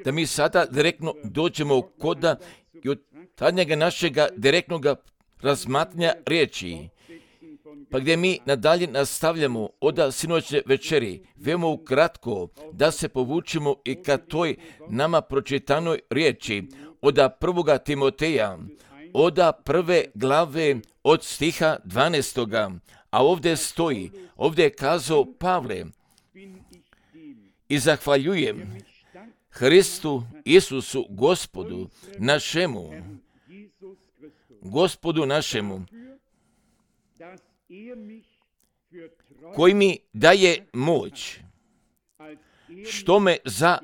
da mi sada direktno dođemo koda i od tadnjega našega direktnog razmatranja riječi, pa gdje mi nadalje nastavljamo od sinoćne večeri, veoma ukratko da se povučimo i ka toj nama pročitanoj riječi od 1. Timoteja, od 1. glave od stiha 12. A ovdje stoji, ovdje je kazao Pavle: i zahvaljujem Hristu Isusu Gospodu našemu, koji mi daje moć, što me za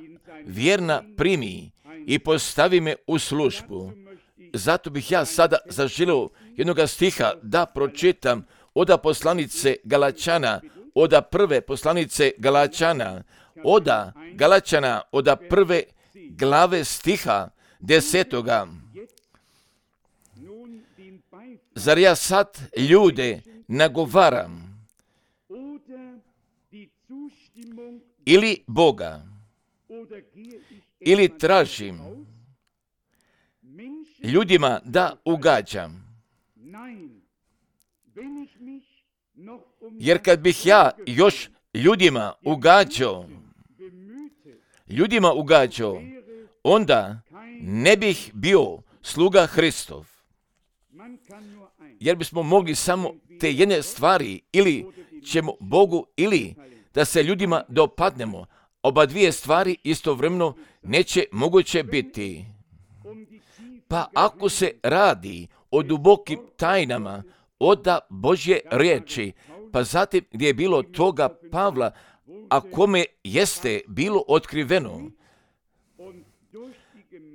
vjerna primi i postavi me u službu. Zato bih ja sada zaželio jednog stiha da pročitam od poslanice Galačana, od 1. poslanice Galačana, od Galačana, od 1. glave stiha 10. Zar ja sad ljude nagovaram ili Boga, ili tražim ljudima da ugađam? Jer kad bih ja još ljudima ugađao, onda ne bih bio sluga Hristov. Jer bismo mogli samo te jedne stvari, ili ćemo Bogu, ili da se ljudima dopadnemo. Oba dvije stvari istovremeno neće moguće biti. Pa ako se radi o dubokim tajnama od Božje riječi, pa zatim gdje je bilo toga Pavla, a kome jeste bilo otkriveno,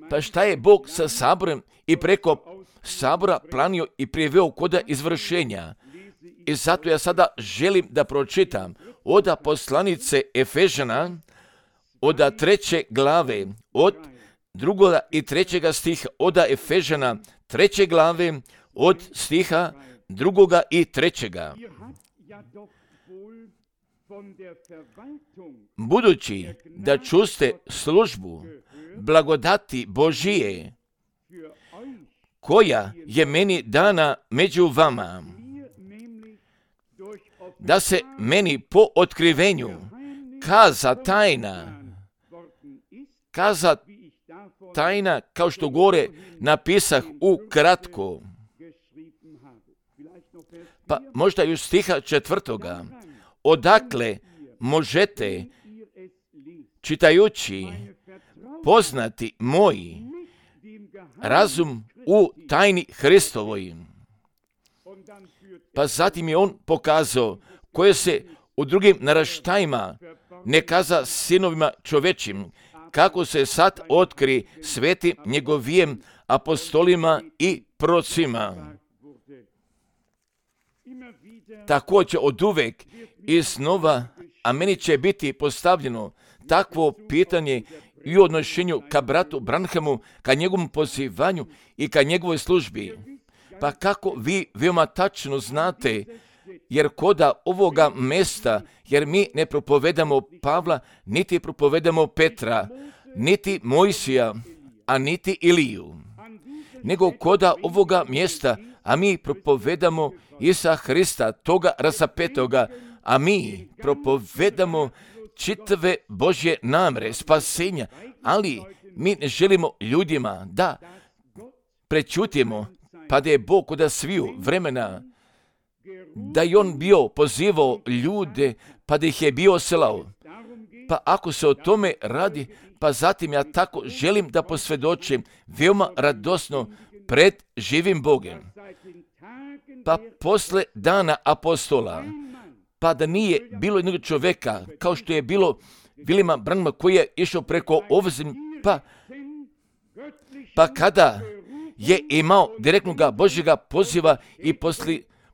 pa šta je Bog sa saborem i preko sabora planio i priveo koda izvršenja. I zato ja sada želim da pročitam od poslanice Efežana, od 3. glave, od 2. i 3. stiha, od Efežana 3. glave, od stiha 2. i 3. Budući da čuste službu blagodati Božije, koja je meni dana među vama, da se meni po otkrivenju kaza tajna, kao što gore napisah ukratko. Pa možda još stiha 4. Odakle možete, čitajući, poznati moji razum u tajni Hristovoj. Pa zatim je on pokazao koje se u drugim naraštajima ne kaza sinovima čovečim, kako se sad otkri svetim njegovijem apostolima i procima. Također od uvek i snova, a meni će biti postavljeno takvo pitanje i u odnošenju ka bratu Branhamu, ka njegovom pozivanju i ka njegovoj službi. Pa kako vi veoma tačno znate, jer koda ovoga mesta, jer mi ne propovedamo Pavla, niti propovedamo Petra, niti Mojsija, a niti Iliju, nego koda ovoga mjesta, a mi propovedamo Isa Hrista, toga rasapetoga, a mi propovedamo čitave Božje namere, spasenja, ali mi ne želimo ljudima da prečutimo, pa da je Bog kod sviju vremena, da je on bio pozivao ljude, pa da ih je bio slao. Pa ako se o tome radi, pa zatim ja tako želim da posvjedočim veoma radosno pred živim Bogom. Pa posle dana apostola, pa da nije bilo jednog čovjeka, kao što je bilo Williama Branhama koji je išao preko ovzem, pa kada je imao direktnog Božjega poziva i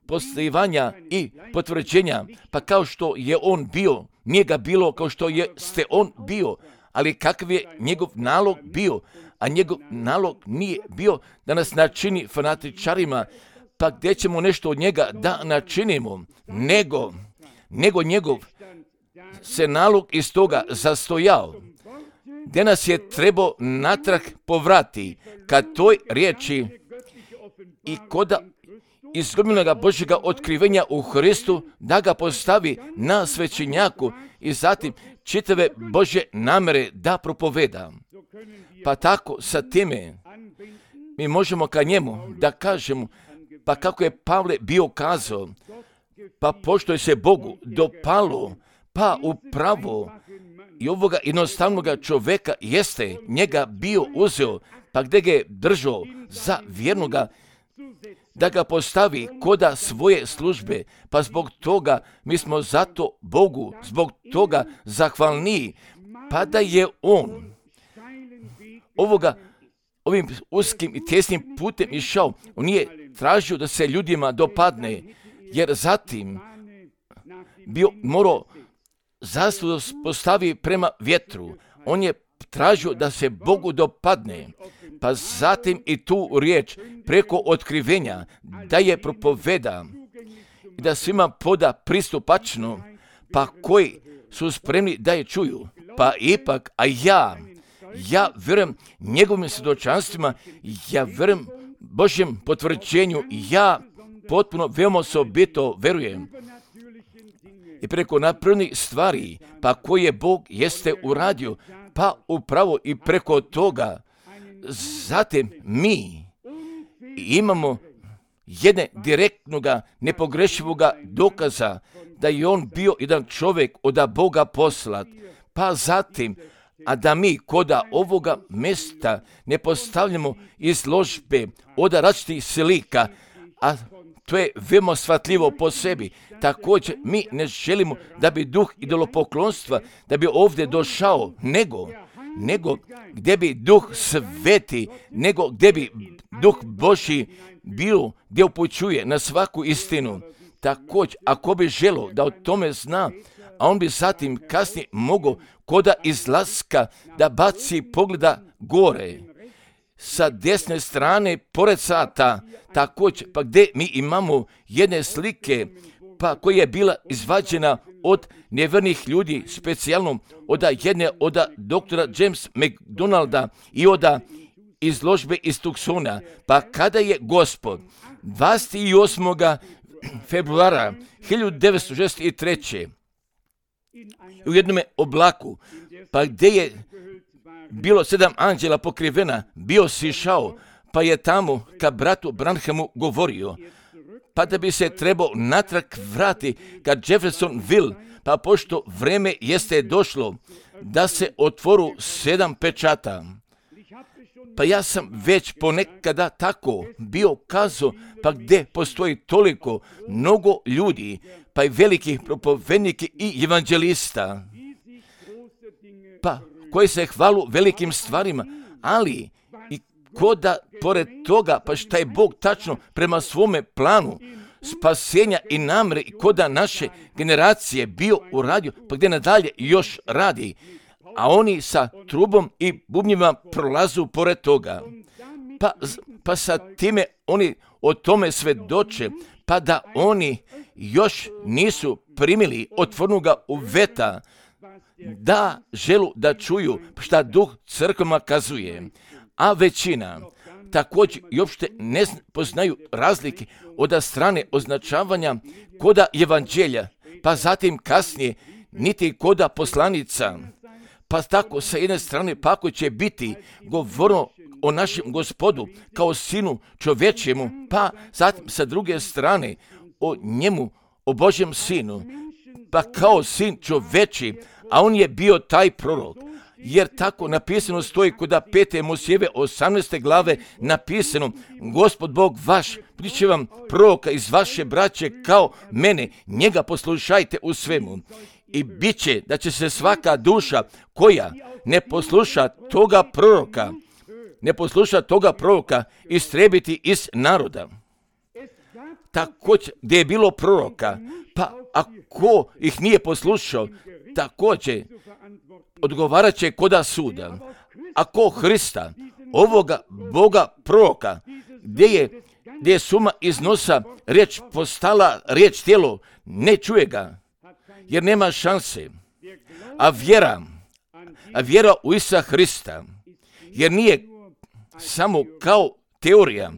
poslivanja i potvrđenja, pa kao što je on bio, nije ga bilo kao što ste on bio, ali kakav je njegov nalog bio, a njegov nalog nije bio da nas načini fanatičarima, pa gdje ćemo nešto od njega da načinimo, nego njegov se nalog iz toga zastojao. gdje nas je trebao natrag povrati ka toj riječi i koda izgubljenog Božjega otkrivenja u Hristu, da ga postavi na svećenjaku i zatim čitave Božje namere da propoveda. Pa tako sa time mi možemo ka njemu da kažemo, pa kako je Pavle bio kazao, pa pošto je se Bogu dopalo, pa upravo i ovoga jednostavnoga čovjeka jeste njega bio uzeo, pa gdje ga je držao za vjernoga, da ga postavi koda svoje službe, pa zbog toga mi smo zato Bogu, zbog toga zahvalniji, pa da je on ovim uskim i tjesnim putem išao, on nije tražio da se ljudima dopadne, jer zatim bio morao zaslužno postavi prema vjetru. On je tražio da se Bogu dopadne, pa zatim i tu riječ preko otkrivenja da je propoveda i da svima poda pristupačno, pa koji su spremni da je čuju. Pa ipak, a ja vjerujem njegovim svjedočanstvima, ja vjerujem Božjem potvrđenju, ja potpuno veoma osobito vjerujem i preko napravljenih stvari, pa koje Bog jeste uradio, pa upravo i preko toga, zatim mi imamo jedne direktnoga, nepogrešivoga dokaza da je on bio jedan čovjek od Boga poslat, pa zatim, a da mi koda ovoga mjesta ne postavljamo izložbe od različitih slika, a to je veoma shvatljivo po sebi. Također, mi ne želimo da bi duh idolopoklonstva, da bi ovdje došao, nego gdje bi duh sveti, nego gdje bi duh Božji bio, gdje upućuje na svaku istinu. Također, ako bi želio da o tome zna, a on bi zatim kasnije mogao koda izlaska da baci pogleda gore, sa desne strane pored sata, također, pa gdje mi imamo jedne slike, pa koja je bila izvađena od nevjernih ljudi, specijalno od doktora James McDonalda i od izložbe iz Tucsona. Pa kada je Gospod 28. februara 1963. u jednom oblaku, pa gdje je bilo 7 anđela pokrivena, bio sišao, pa je tamo ka bratu Branhamu govorio, pa da bi se trebao natrag vrati ka Jeffersonville, pa pošto vreme jeste došlo da se otvoru 7 pečata. Pa ja sam već ponekada tako bio kazao, pa gdje postoji toliko mnogo ljudi, pa i velikih propovednika i evanđelista, pa koji se hvalu velikim stvarima, ali i koda pored toga, pa šta je Bog tačno prema svome planu spasenja i namre i koda naše generacije bio uradio, pa gdje nadalje još radi, a oni sa trubom i bubnjima prolazu pored toga. Pa sa time oni o tome svedoče, pa da oni još nisu primili otvornoga uveta, da želu da čuju šta duh crkvama kazuje, a većina također i uopšte ne poznaju razlike od strane označavanja koda evanđelja, pa zatim kasnije niti koda poslanica. Pa tako sa jedne strane pa ako će biti govorno o našem Gospodu kao sinu čovječjemu, pa zatim sa druge strane o njemu, o Božjem sinu, pa kao sin čovječji, a on je bio taj prorok. Jer tako napisano stoji kod 5. Mojsijeve 18. glave napisano, Gospod Bog vaš priče vam proroka iz vaše braće kao mene, njega poslušajte u svemu. I bit će da će se svaka duša koja ne posluša toga proroka istrebiti iz naroda. Također, gdje je bilo proroka, pa ako ih nije poslušao, također odgovarat će koda suda. Ako Hrista, ovoga Boga proroka, gdje je suma iz nosa riječ postala riječ tijelo, ne čuje ga, jer nema šanse. A vjera vjera u Isusa Hrista, jer nije samo kao teorija,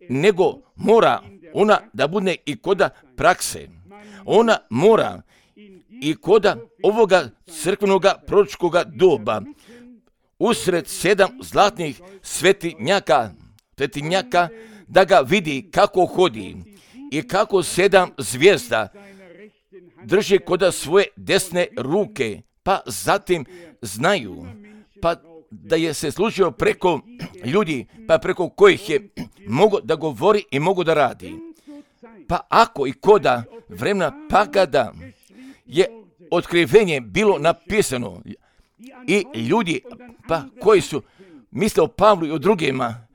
nego mora ona da bude i koda prakse. Ona mora i koda ovoga crkvenoga proročkoga doba, usred 7 zlatnih svetinjaka, da ga vidi kako hodi i kako 7 zvijezda drži koda svoje desne ruke, pa zatim znaju, pa da je se služio preko ljudi, pa preko kojih je mogo da govori i mogo da radi. Pa ako i koda vremena, pa kada je otkrivenje bilo napisano i ljudi pa koji su misle o Pavlu i o drugima,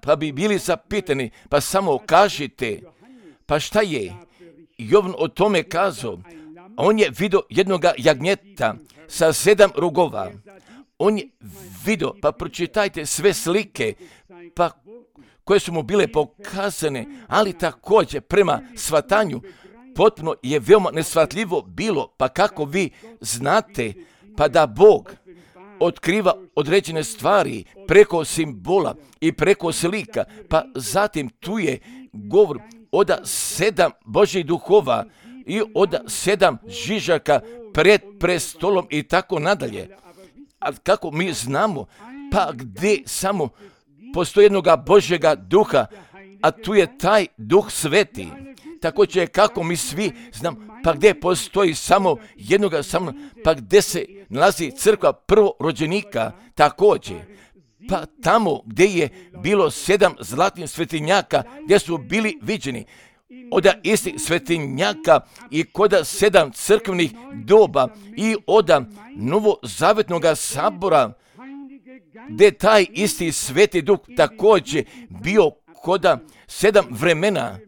pa bi bili zapitani, pa samo kažite, pa šta je Jovan o tome kazao? On je vidio jednoga jagnjeta sa 7 rogova. On je vidio, pa pročitajte sve slike, pa koje su mu bile pokazane, ali također prema shvatanju potpuno je veoma neshvatljivo bilo, pa kako vi znate, pa da Bog otkriva određene stvari preko simbola i preko slika, pa zatim tu je govor od 7 Božjih duhova i od 7 žižaka pred prestolom i tako nadalje. A kako mi znamo, pa gdje samo postoji jednoga Božjega duha, a tu je taj duh sveti. Također kako mi svi znamo, pa gdje postoji samo jednoga, pa gdje se nalazi crkva prvorođenika, također. Pa tamo gdje je bilo 7 zlatnih svetinjaka, gdje su bili viđeni od istih svetinjaka i koda 7 crkvenih doba i od novozavetnog sabora, gdje taj isti sveti duh također bio koda 7 vremena,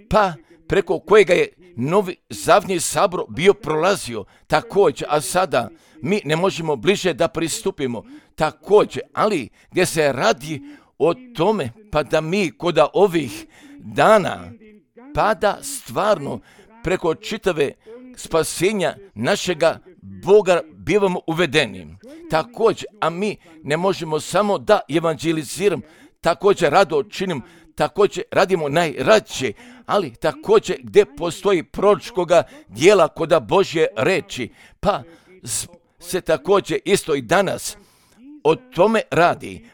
pa preko kojega je novi zavni sabor bio prolazio također, a sada mi ne možemo bliže da pristupimo također, ali gdje se radi o tome, pa da mi koda ovih dana, pa da stvarno preko čitave spasenja našega Boga bivamo uvedeni. Također, a mi ne možemo samo da evanđeliziramo, također rado činim, također radimo najrađe, ali također gdje postoji proročkoga dijela koda Božje reči, pa se također isto i danas o tome radi,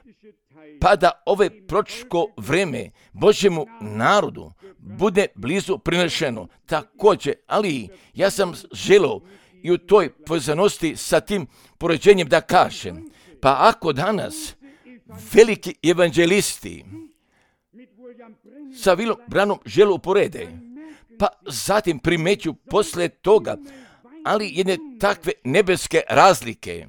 pa da ove proročko vreme Božjemu narodu bude blizu prinešeno. Također, ali ja sam želio i u toj povezanosti sa tim poređenjem da kažem, pa ako danas veliki evanđelisti sa Willem Branhamom žele uporede, pa zatim primeću posle toga, ali jedne takve nebeske razlike,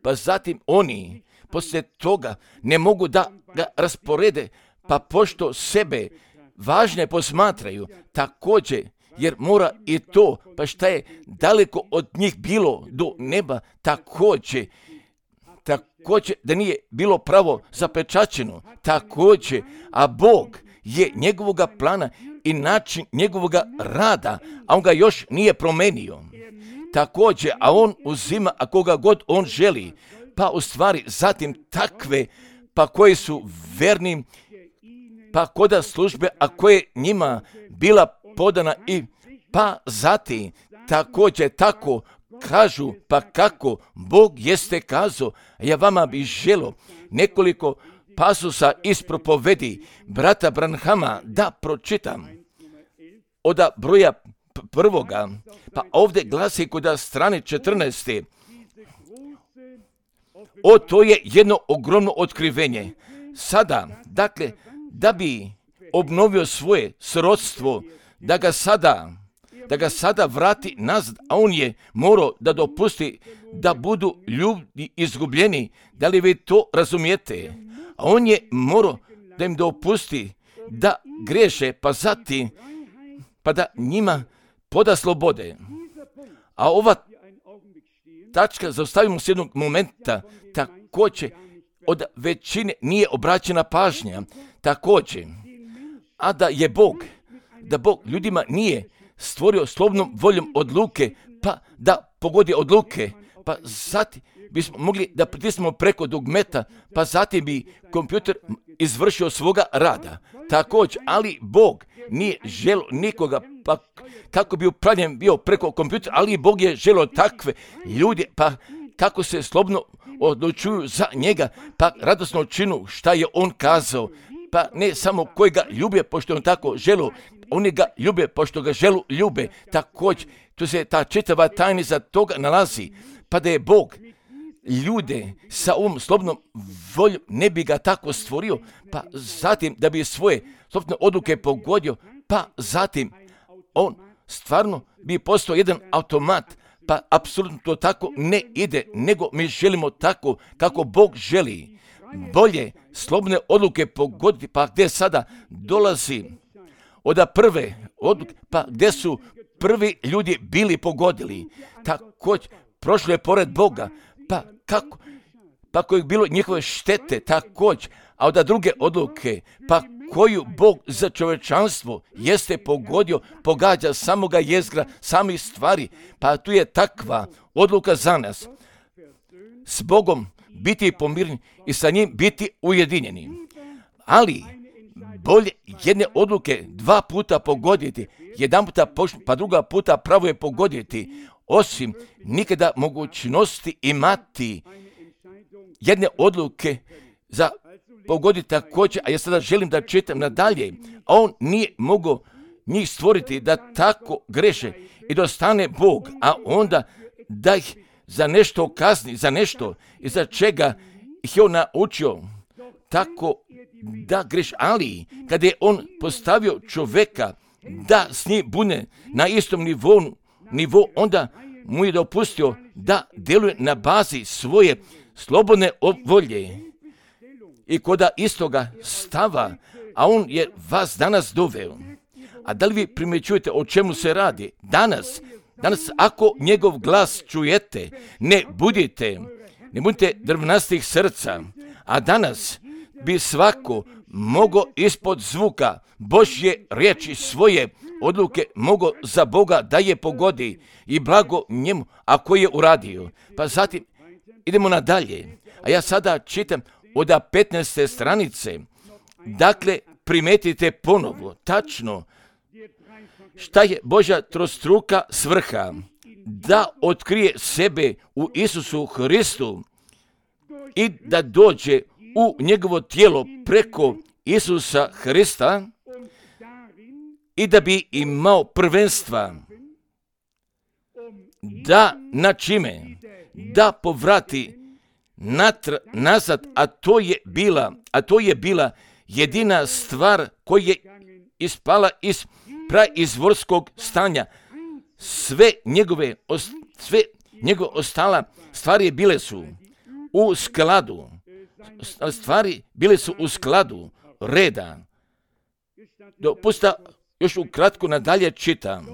pa zatim oni posle toga ne mogu da ga rasporede, pa pošto sebe važne posmatraju, također, jer mora i to, pa šta je daleko od njih bilo do neba, također da nije bilo pravo zapečaćeno, također, a Bog je njegovoga plana i način njegovoga rada, a on ga još nije promenio. Također, a on uzima, a koga god on želi, pa u stvari zatim takve, pa koji su verni, pa koda službe, a koje njima bila podana i pa zatim također tako kažu, pa kako Bog jeste kazao. Ja vama bih želio nekoliko pasusa iz propovedi brata Branhama da pročitam od broja prvoga, pa ovdje glasi kod strane 14. To je jedno ogromno otkrivenje. Sada, dakle, da bi obnovio svoje srodstvo, da ga sada vrati nazad, a on je morao da dopusti da budu ljudi izgubljeni. Da li vi to razumijete? A on je morao da im dopusti da greše, pa zatim, pa da njima poda slobode. A ova tačka, zaustavimo se jednog momenta, također od većine nije obraćena pažnja, također, a da Bog ljudima nije stvorio slobodnom voljom odluke, pa da pogodi odluke, pa zatim bismo mogli da pritisnemo preko dugmeta, pa zatim bi kompjuter izvršio svoga rada. Također, ali Bog nije želio nikoga, pa kako bi upravljen bio preko kompjutera, ali Bog je želio takve ljude, pa kako se slobodno odlučuju za njega, pa radosno činu šta je on kazao, pa ne samo koji ga ljube, pošto on tako želu, oni ga ljube, pošto ga ljube. Također, tu se ta čitava tajnica toga nalazi, pa da je Bog ljude sa ovom slobodnom voljom ne bi ga tako stvorio, pa zatim da bi svoje slobodne odluke pogodio, pa zatim on stvarno bi postao jedan automat, pa apsolutno to tako ne ide, nego mi želimo tako kako Bog želi. Bolje slobodne odluke pogoditi, pa gdje sada dolazi od prve odluke, pa gdje su prvi ljudi bili pogodili, također prošlo je pored Boga, pa kako? Pa koje je bilo njihove štete također, a od druge odluke, pa koju Bog za čovječanstvo jeste pogodio, pogađa samoga jezgra, samih stvari, pa tu je takva odluka za nas. S Bogom biti pomireni i sa njim biti ujedinjeni. Ali bolje jedne odluke 2 puta pogoditi, jedan puta pa druga puta pravo je pogoditi, osim nikada mogućnosti imati jedne odluke za pogoditi također, a ja sada želim da čitam nadalje, a on nije mogao njih stvoriti da tako greše i dostane Bog, a onda da ih za nešto kazni, za nešto i za čega ih je on naučio tako da greš, ali kada je on postavio čovjeka da s njim bude na istom nivou, onda mu je dopustio da djeluje na bazi svoje slobodne volje i koda istoga stava, a on je vas danas doveo. A da li vi primjećujete o čemu se radi? Danas ako njegov glas čujete, ne budite drvnastih srca, a danas bi svako mogao ispod zvuka Božje riječi svoje odluke mogao za Boga da je pogodi i blago njemu ako je uradio. Pa zatim idemo nadalje, a ja sada čitam od 15. stranice. Dakle, primetite ponovo, tačno, šta je Božja trostruka svrha, da otkrije sebe u Isusu Hristu i da dođe u njegovo tijelo preko Isusa Hrista i da bi imao prvenstva, da na čime, da povrati nazad, a to je bila jedina stvar koja je ispala iz praizvorskog stanja. Sve njegove ostala stvari bile su u skladu. Stvari bile su u skladu reda. Dopusta još ukratko nadalje čitam.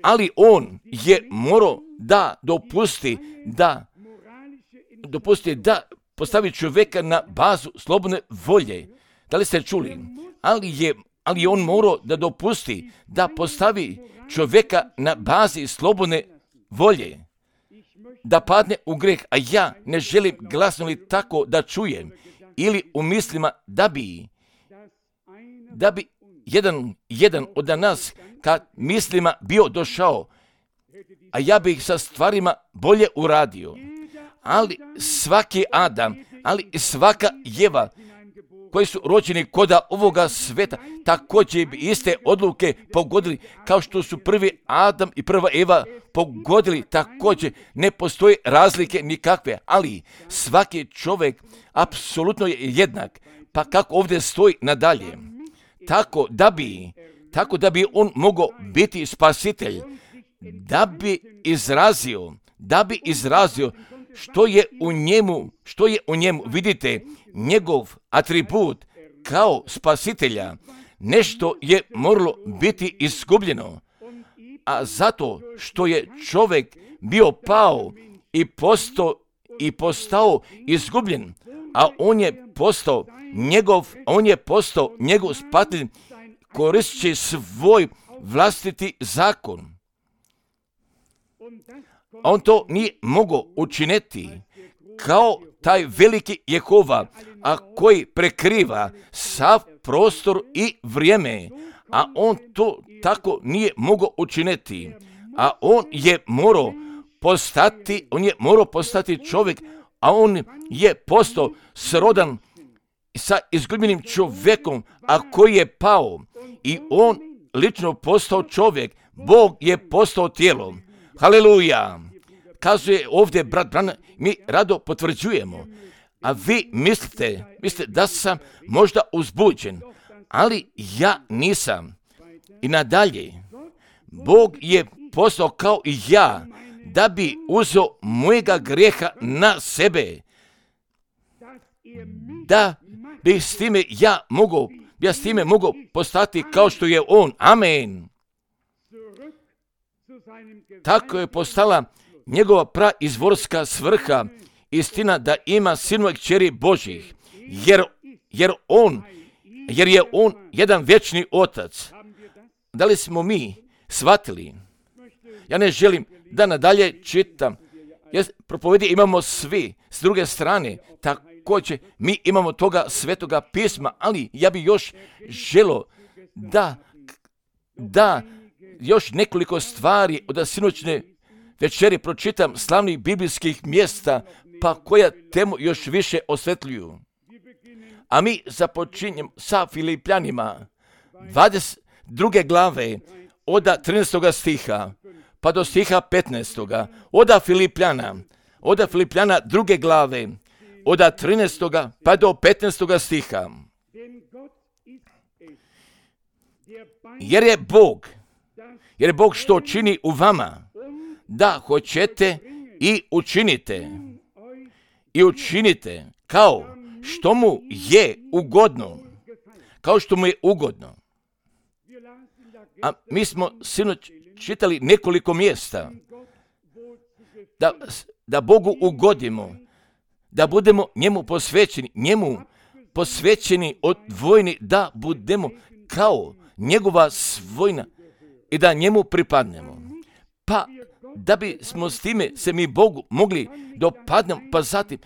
Ali on je morao da dopusti da postavi čovjeka na bazu slobodne volje. Da li ste čuli? Ali je on morao da dopusti da postavi čovjeka na bazi slobodne volje, da padne u greh, a ja ne želim glasno li tako da čujem, ili u mislima da bi jedan od nas kad mislima bio došao, a ja bih sa stvarima bolje uradio. Ali svaki Adam, ali i svaka Jeva koji su rođeni koda ovoga sveta, također bi iste odluke pogodili kao što su prvi Adam i prva Eva pogodili, također ne postoji razlike nikakve, ali svaki čovjek apsolutno je jednak, pa kako ovdje stoji nadalje, tako da bi on mogao biti spasitelj, da bi izrazio što je u njemu, vidite, njegov atribut kao spasitelja, nešto je moralo biti izgubljeno, a zato što je čovjek bio pao i postao izgubljen, a on je postao njegov spasitelj koristeći svoj vlastiti zakon. On to nije mogao učiniti kao taj veliki Jehova, a koji prekriva sav prostor i vrijeme, a on to tako nije mogao učiniti, a on je morao postati čovjek, a on je postao srodan sa izgubljenim čovjekom, a koji je pao i on lično postao čovjek. Bog je postao tijelo. Haleluja! Kazuje ovdje brat Branham, mi rado potvrđujemo, a vi mislite da sam možda uzbuđen, ali ja nisam. I nadalje, Bog je postao kao i ja, da bi uzeo mojega grijeha na sebe, da bi s time ja s time mogao postati kao što je on. Amen. Tako je postala njegova praizvorska svrha, istina da ima sinova i kćeri Božjih, jer je on jedan vječni otac. Da li smo mi shvatili? Ja ne želim da nadalje čitam. Propovedi imamo svi, s druge strane, također mi imamo toga svetoga pisma, ali ja bi još želio da još nekoliko stvari od sinoćne večeri pročitam slavnih biblijskih mjesta, pa koja temu još više osvetljuju. A mi započinjemo sa Filipljanima, 22. glave, od 13. stiha, pa do stiha 15. Od Filipljana 2. glave, od 13. pa do 15. stiha. Jer je Bog što čini u vama, da hoćete i učinite kao što mu je ugodno. A mi smo sinoć čitali nekoliko mjesta da Bogu ugodimo, da budemo njemu posvećeni, odvojeni, da budemo kao njegova svojina i da njemu pripadnemo. Pa da bi smo s time se mi Bogu mogli dopadnemo, pa zatim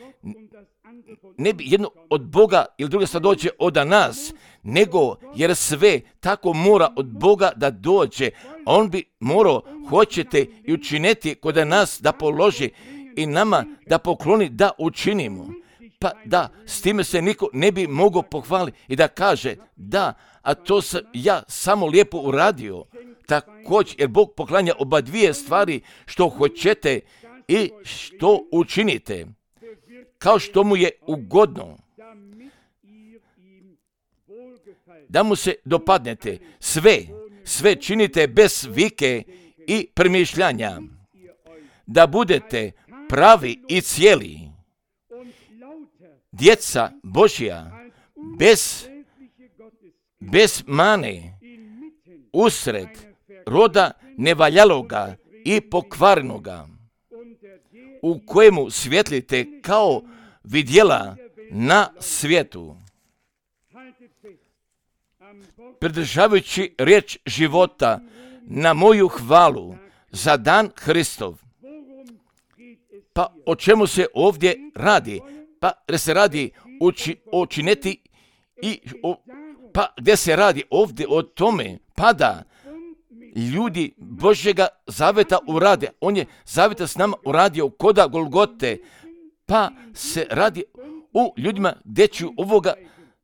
ne bi jedno od Boga ili druga stvar dođe od nas, nego jer sve tako mora od Boga da dođe, a on bi morao, hoćete i učiniti kod nas da položi i nama da pokloni da učinimo. Pa da, s time se niko ne bi mogao pohvaliti i da kaže da, a to sam ja samo lijepo uradio. Također, jer Bog poklanja oba dvije stvari, što hoćete i što učinite, kao što mu je ugodno, da mu se dopadnete. Sve činite bez vike i premišljanja, da budete pravi i cijeli, djeca Božja, bez mane, usred roda nevaljaloga i pokvarenoga, u kojemu svjetlite kao vidjela na svijetu, pridržavajući riječ života na moju hvalu za dan Hristov. Pa o čemu se ovdje radi? Pa gdje se radi učiniti pa gdje se radi ovdje o tome, pa da ljudi Božjega zaveta urade. On je zaveta s nama uradio koda Golgote, pa se radi u ljudima gdje će ovoga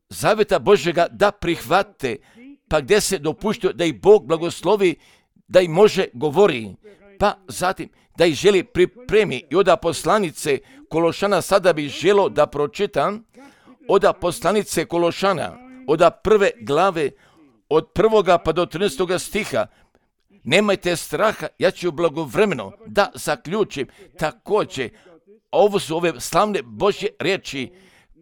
zaveta Božjega da prihvate, pa gdje se dopuštuje da ih Bog blagoslovi, da ih može govori, pa zatim da ih želi pripremi. I od poslanice Kološana sada bih želio da pročitam od poslanice Kološana, od 1. glave, od 1. pa do 13. stiha. Nemajte straha, ja ću blagovremeno da zaključim. Također, ovo su ove slavne Božje riječi,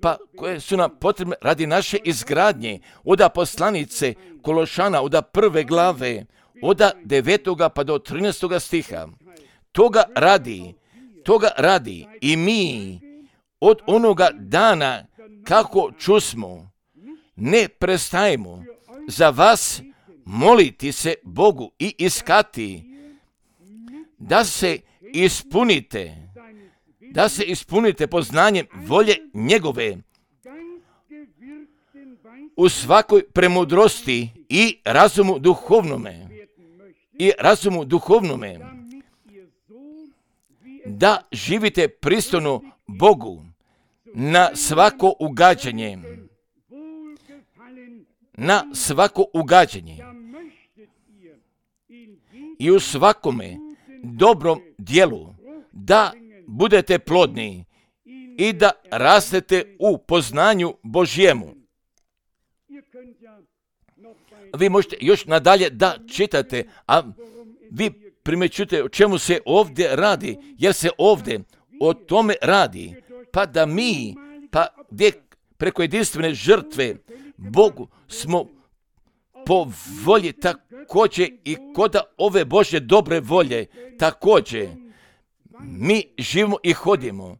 pa koje su nam potrebne radi naše izgradnje. Od poslanice Kološana, od 1. glave, od 9. pa do 13. stiha. Toga radi i mi od onoga dana kako čusmo, ne prestajemo za vas moliti se Bogu i iskati, da se ispunite, da se ispunite poznanjem volje njegove u svakoj premudrosti i razumu duhovnome, da živite pristojno Bogu na svako ugađanje i u svakome dobrom dijelu da budete plodni i da rastete u poznanju Božjemu. Vi možete još nadalje da čitate, a vi primjećujete o čemu se ovdje radi, jer se ovdje o tome radi, pa da mi, gdje preko jedinstvene žrtve Bogu smo po volji također i kod ove Božje dobre volje također mi živimo i hodimo,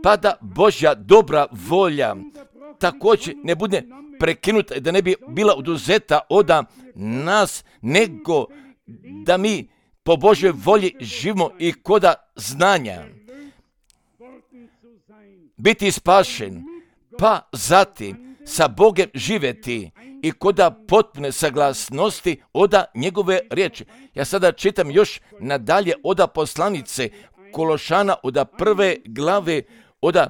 pa da Božja dobra volja također ne bude prekinuta, da ne bi bila oduzeta od nas, nego da mi po Božjoj volji živimo i koda znanja. Biti spašen, pa zatim sa Bogem živjeti i koda potpune saglasnosti oda njegove riječi. Ja sada čitam još nadalje oda poslanice Kološana, oda 1. glave, oda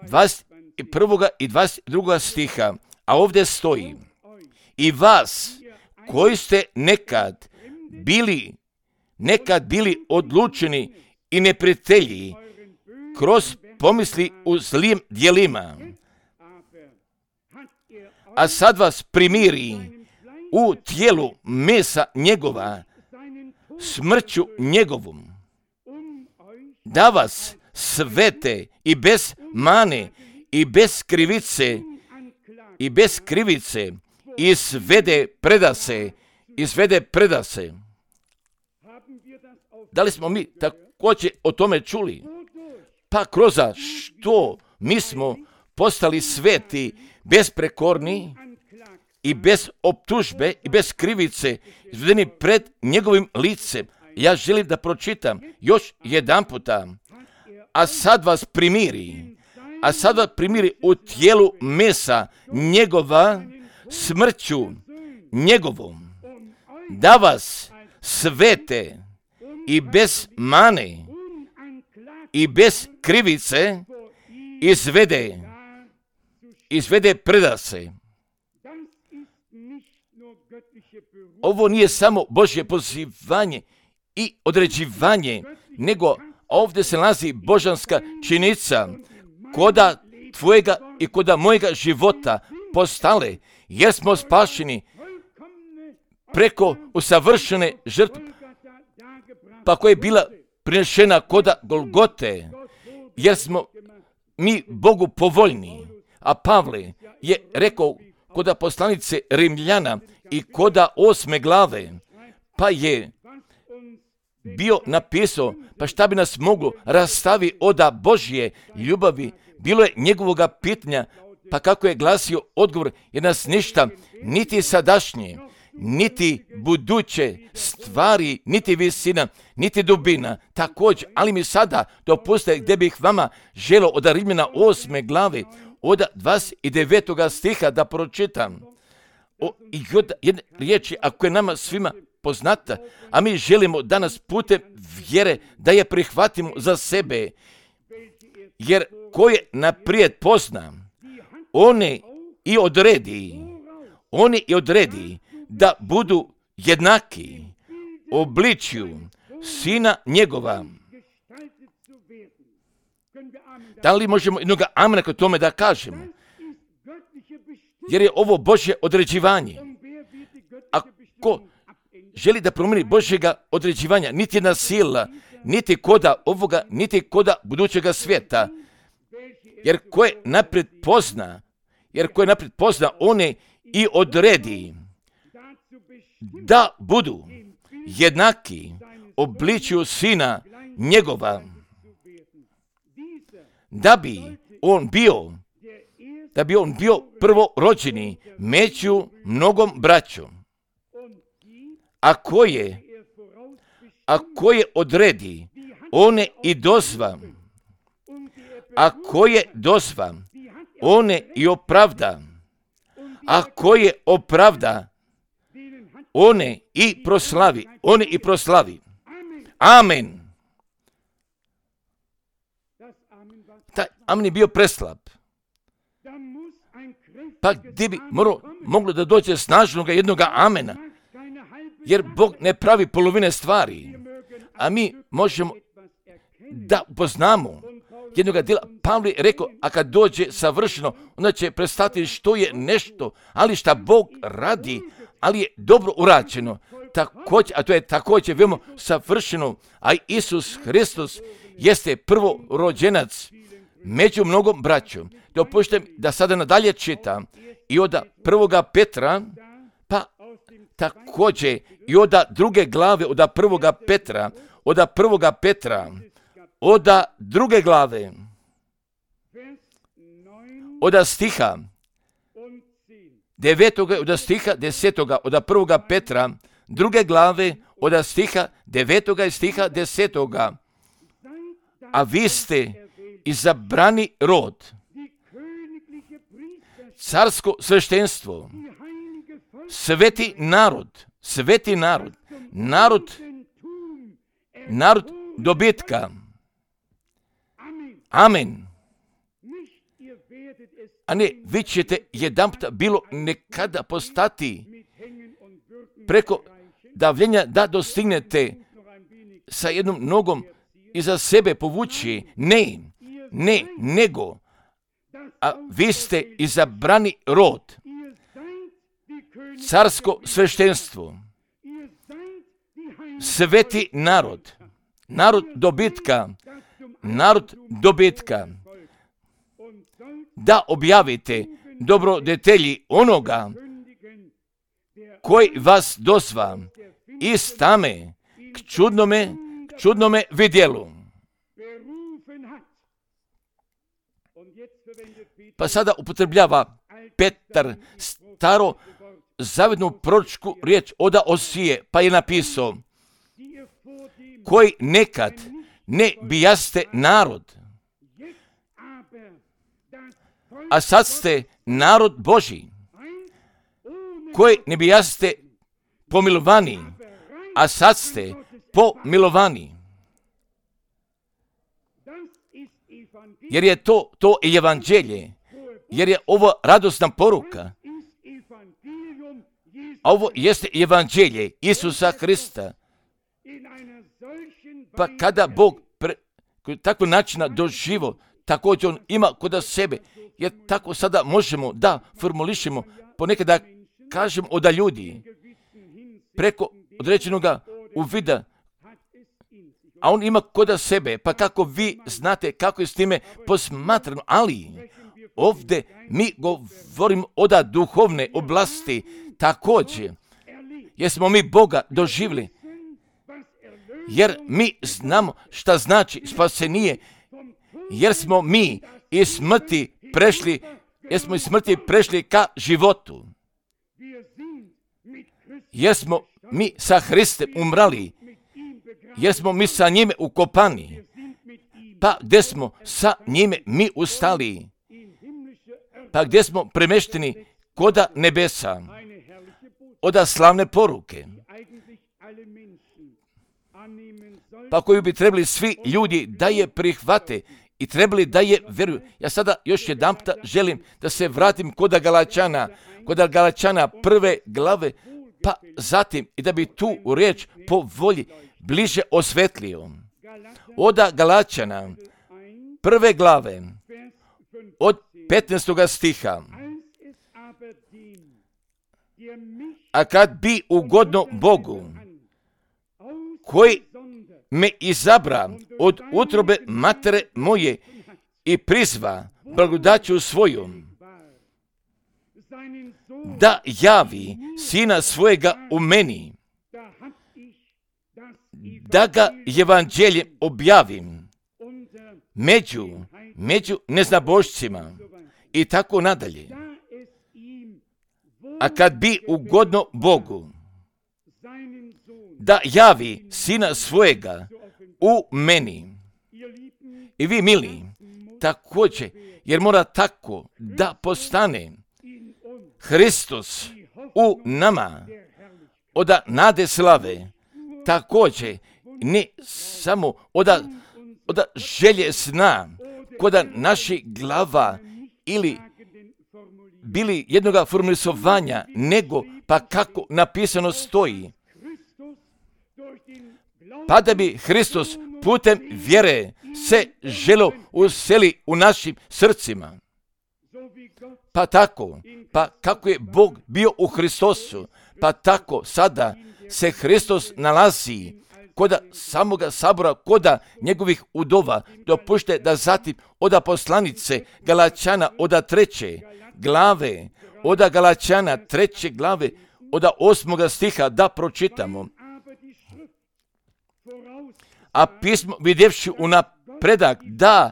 21. i 22. stiha. A ovdje stoji: i vas koji ste nekad bili odlučeni i neprijatelji kroz pomisli u zlim djelima, a sad vas primiri u tijelu mesa njegova, smrću njegovom, da vas svete i bez mane i bez krivice izvede predase. Da li smo mi također o tome čuli? Pa kroz što mi smo postali sveti, besprekorni i bez optužbe i bez krivice, izvedeni pred njegovim licem. Ja želim da pročitam još jedan puta. A sad vas primiri u tijelu mesa njegova, smrću njegovom, da vas svete i bez mane i bez krivice izvede predase. Ovo nije samo Božje pozivanje i određivanje, nego ovdje se nalazi božanska činjenica koda tvojega i koda mojega života postale, jer smo spašeni preko usavršene žrtve, pa koja je bila prinešena koda Golgote, jer smo mi Bogu povoljni. A Pavle je rekao koda poslanice Rimljana i koda 8. glave, pa je bio napisao, pa šta bi nas moglo rastavi od Božje ljubavi, bilo je njegovoga pitanja, pa kako je glasio odgovor, jer nas ništa, niti sadašnje, niti buduće stvari, niti visina, niti dubina, također, ali mi sada dopustite gdje bih vama želio od Rimljana 8. glave, od 29. stiha da pročitam. I jedne riječi, ako je nama svima poznata, a mi želimo danas putem vjere da je prihvatimo za sebe, jer ko je naprijed pozna, oni i odredi da budu jednaki obličju Sina njegova. Da li možemo jednog amena kod tome da kažemo? Jer je ovo Božje određivanje. Ako želi da promijeni Božjega određivanja, niti jedna sila, niti koda ovoga, niti koda budućega svijeta. Jer ko je naprijed pozna, one i odredi da budu jednaki obličju Sina njegova, da bi on bio prvorođeni među mnogom braćom. A ko je odredi one i dozva. A ko je dozva, one i opravda. A ko je opravda, one i proslavi. One i proslavi. Amen. Taj amen je bio preslab. Pa gdje bi moglo da dođe snažnoga jednoga amena? Jer Bog ne pravi polovine stvari. A mi možemo da upoznamo jednoga djela. Pavle je rekao, a kad dođe savršeno, onda će prestati što je nešto, ali šta Bog radi, ali je dobro urađeno. Također, a to je također veoma savršeno, a Isus Hristos jeste prvorođenac među mnogom braćom. Dopuštam da sada nadalje čitam i od 1. Petra, pa također i od 2. glave, od 1. Petra, od 1. Petra, od 2. glave, od stiha 9. od stiha 10. od 1. Petra, 2. glave, od stiha 9. i stiha 10. A vi ste izabrani rod, carsko sveštenstvo, sveti narod, narod dobitka. Amen. A ne, vi ćete jedanputa bilo nekada postati preko davljenja da dostignete sa jednom nogom iza sebe povući. Ne, nego, a vi ste izabrani rod, carsko sveštenstvo, sveti narod dobitka, da objavite dobrodetelji onoga koji vas dozva iz tame k čudnome vidjelu. Pa sada upotrebljava Petar staro zavednu proročku riječ od Osije, pa je napisao, koji nekad ne bijaste narod, a sad ste narod Božji, koji ne bijaste pomilovani, a sad ste pomilovani. Jer je to evanđelje, jer je ovo radosna poruka. A ovo jeste evanđelje Isusa Hrista. Pa kada Bog takvog načina doživo, također on ima kod sebe, jer tako sada možemo da formulišemo, ponekad da kažem od ljudi, preko određenog uvida, a on ima kod sebe, pa kako vi znate kako je s time posmatrano, ali ovdje mi govorimo o duhovne oblasti također, jer smo mi Boga doživjeli, jer mi znamo šta znači spasenije, jer smo mi iz smrti prešli ka životu, jer smo mi sa Hristem umrali, jer smo mi sa njime ukopani, pa gdje smo sa njime mi ustali, pa gdje smo premešteni koda nebesa, oda slavne poruke, pa koju bi trebali svi ljudi da je prihvate i trebali da je vjeruju. Ja sada još jedanputa želim da se vratim kod Galačana 1. glave, pa zatim i da bi tu riječ po volji bliže osvetlio. Od Galačana 1. glave, od 15. stiha. A kad bi ugodno Bogu, koji me izabra od utrobe matere moje i prizva blagodaću svojom, da javi sina svojega u meni, da ga evanđeljem objavim među neznabošcima i tako nadalje. A kad bi ugodno Bogu, da javi sina svojega u meni. I vi, mili, također, jer mora tako da postane Hristos u nama, od nade slave, također, ne samo od želje sna, koda naših glava ili bili jednoga formulisovanja, nego pa kako napisano stoji. Pa da bi Hristos putem vjere se želo useli u našim srcima. Pa tako, pa kako je Bog bio u Hristosu, pa tako sada se Hristos nalazi koda samoga sabora, koda njegovih udova, dopušte da zatim oda poslanice Galačana, oda 3. glave, oda Galačana 3. glave, oda 8. stiha da pročitamo. A pismo vidjevši unapredak da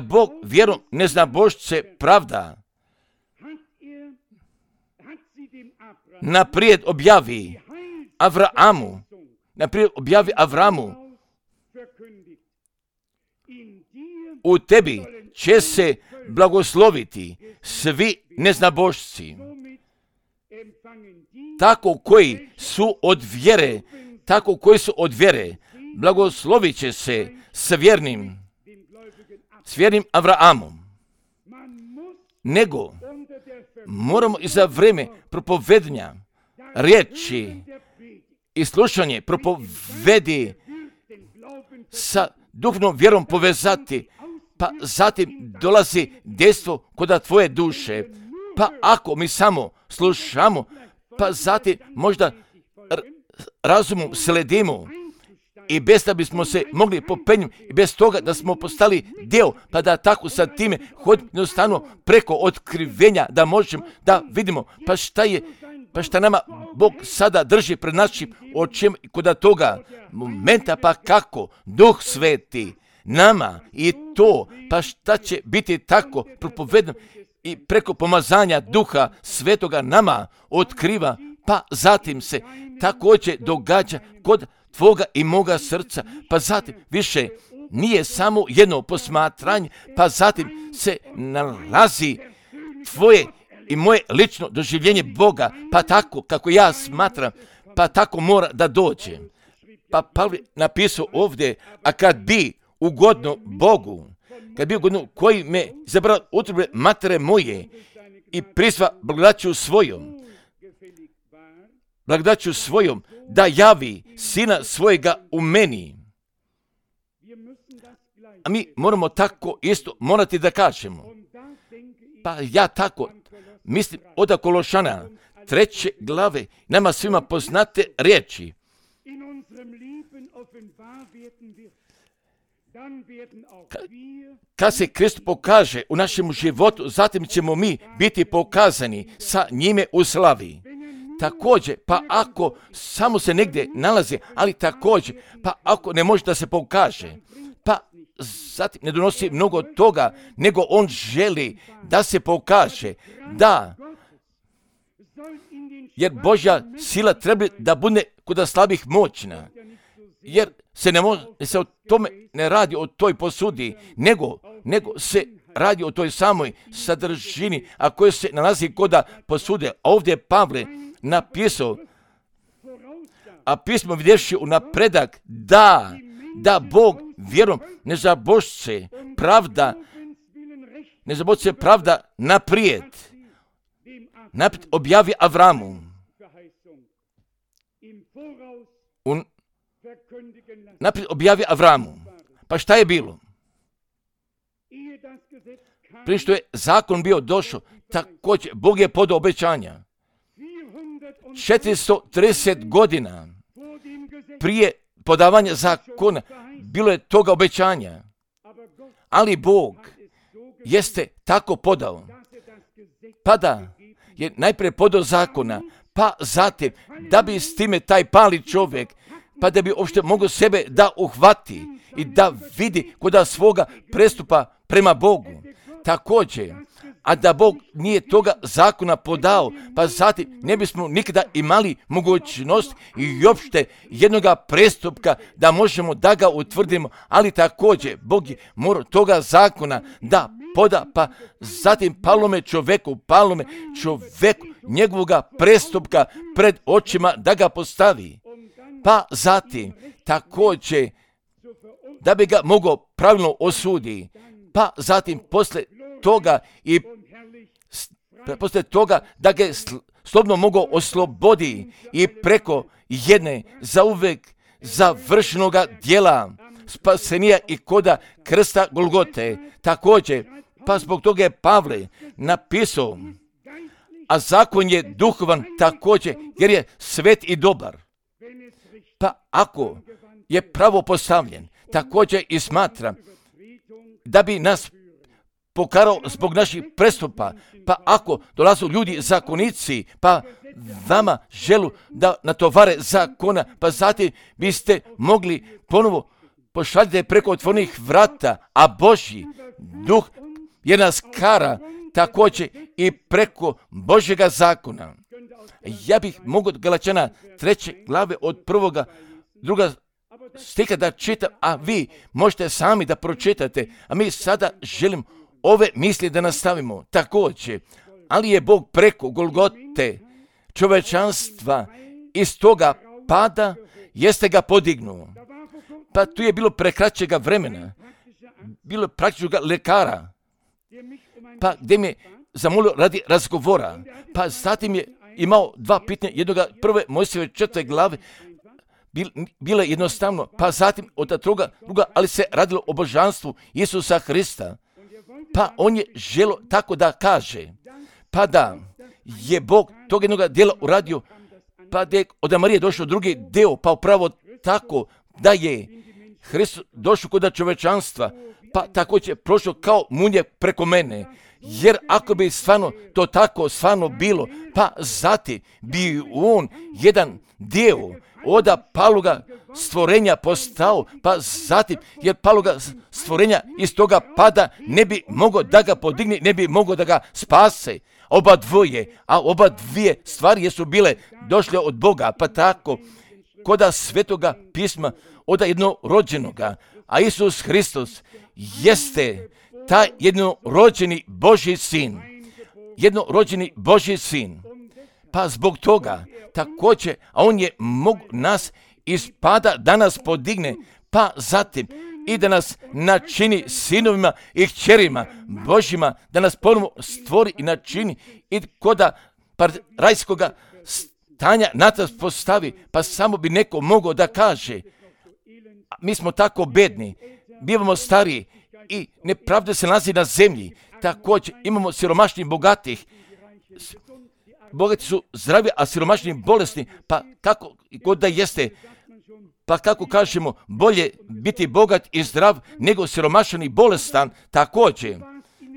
Bog vjerom neznabošce pravda, naprijed objavi Avramu, u tebi će se blagosloviti svi neznabošci, tako koji su od vjere, blagoslovit će se s vjernim Avraamom. Nego moramo i za vrijeme propovedanja riječi i slušanje propovedi sa duhovnom vjerom povezati, pa zatim dolazi dejstvo kod tvoje duše. Pa ako mi samo slušamo, pa zatim možda razumom sledimo i bez da bismo se mogli popenjati i bez toga da smo postali dio, pa da tako sa time jednostavno preko otkrivenja da možemo da vidimo pa šta nama Bog sada drži pred našim očima i kod toga momenta, pa kako Duh Sveti nama i to, pa šta će biti tako propovedano i preko pomazanja Duha Svetoga nama otkriva, pa zatim se također događa kod tvoga i moga srca, pa zatim više nije samo jedno posmatranje, pa zatim se nalazi tvoje i moje lično doživljenje Boga, pa tako kako ja smatram, pa tako mora da dođe. Pa Pavle napisao ovdje, a kad bi ugodno Bogu, koji me izabrao utrube matere moje i prizva blagodaću svojom, da javi Sina svojega u meni. A mi moramo tako isto morati da kažemo. Pa ja tako mislim od Kološana 3. glave, nama svima poznate riječi. Kad se Krist pokaže u našem životu, zatim ćemo mi biti pokazani sa njime u slavi. Također, pa ako samo se negdje nalazi, ali također, pa ako ne može da se pokaže, pa zatim ne donosi mnogo toga, nego on želi da se pokaže, da, jer Božja sila treba da bude kod slabih moćna, jer se o tome ne radi o toj posudi, nego se radi o toj samoj sadržini, a koja se nalazi kod posude. A ovdje je Pavle napisao, a pismo vidjevši unapredak da Bog vjerom nezabošce pravda naprijed objavi Avramu. Naprijed objavi Avramu. Pa šta je bilo? Prije što je zakon bio došao, također Bog je podao obećanja. 430 godina prije podavanja zakona bilo je toga obećanja. Ali Bog jeste tako podao. Pa da je najprije podao zakona, pa zatim da bi s time taj pali čovjek, pa da bi uopšte mogao sebe da uhvati i da vidi kod svoga prestupa prema Bogu. Također, a da Bog nije toga zakona podao, pa zatim ne bismo nikada imali mogućnost i uopšte jednoga prestupka da možemo da ga utvrdimo, ali također Bog je morao toga zakona da poda, pa zatim palome čoveku njegovoga prestupka pred očima da ga postavi, pa zatim također da bi ga mogao pravilno osudi, pa zatim poslije toga da ga slobodno mogao oslobodi i preko jedne zauvek završenoga djela spasenija i koda krsta Golgote. Također, pa zbog toga je Pavle napisao, a zakon je duhovan također jer je svet i dobar. Pa ako je pravo postavljen, također i smatra da bi nas pokarao zbog naših prestupa, pa ako dolazu ljudi zakonici, pa vama želu da natovare zakona, pa zatim biste mogli ponovo pošaljati preko otvorenih vrata, a Božji duh je nas kara također i preko Božjega zakona. Ja bih mogao Galačana 3. glave od 1. 2. stiha da čitam, a vi možete sami da pročitate, a mi sada želim ove misli da nastavimo također. Ali je Bog preko Golgote čovečanstva iz toga pada jeste ga podignuo. Pa tu je bilo prekraćega vremena, bilo praktičnog lekara, pa gdje mi je zamolio radi razgovora, pa zatim je imao dva pitanja, jednoga prve Mojsijeve 4. glave, bilo je jednostavno, pa zatim od druga, ali se radilo o božanstvu Isusa Hrista. Pa on je želo tako da kaže, pa da je Bog tog jednoga dijela uradio, pa da je od Marije došao drugi deo, pa upravo tako da je Hristos došao kod čovečanstva, pa također prošao kao munje preko mene. Jer ako bi stvarno to tako stvarno bilo, pa zatim bi on jedan dio od paloga stvorenja postao, pa zatim jer paloga stvorenja iz toga pada ne bi mogao da ga podigne, ne bi mogao da ga spase. Oba dvije stvari jesu bile došle od Boga, pa tako koda svetoga pisma od jednorođenoga, a Isus Hristos jeste taj jednorođeni Božji sin. Pa zbog toga također, a on je nas iz pada da nas podigne, pa zatim i da nas načini sinovima i kćerima Božjima, da nas ponovo stvori i načini i koda rajskoga stanja na nas postavi, pa samo bi neko mogao da kaže, mi smo tako bedni, bivamo stariji i nepravda se nalazi na zemlji, također imamo siromašnih bogatih, bogati su zdravi, a siromašni bolesni, pa kako god da jeste, pa kako kažemo, bolje biti bogat i zdrav nego siromašan i bolestan, također.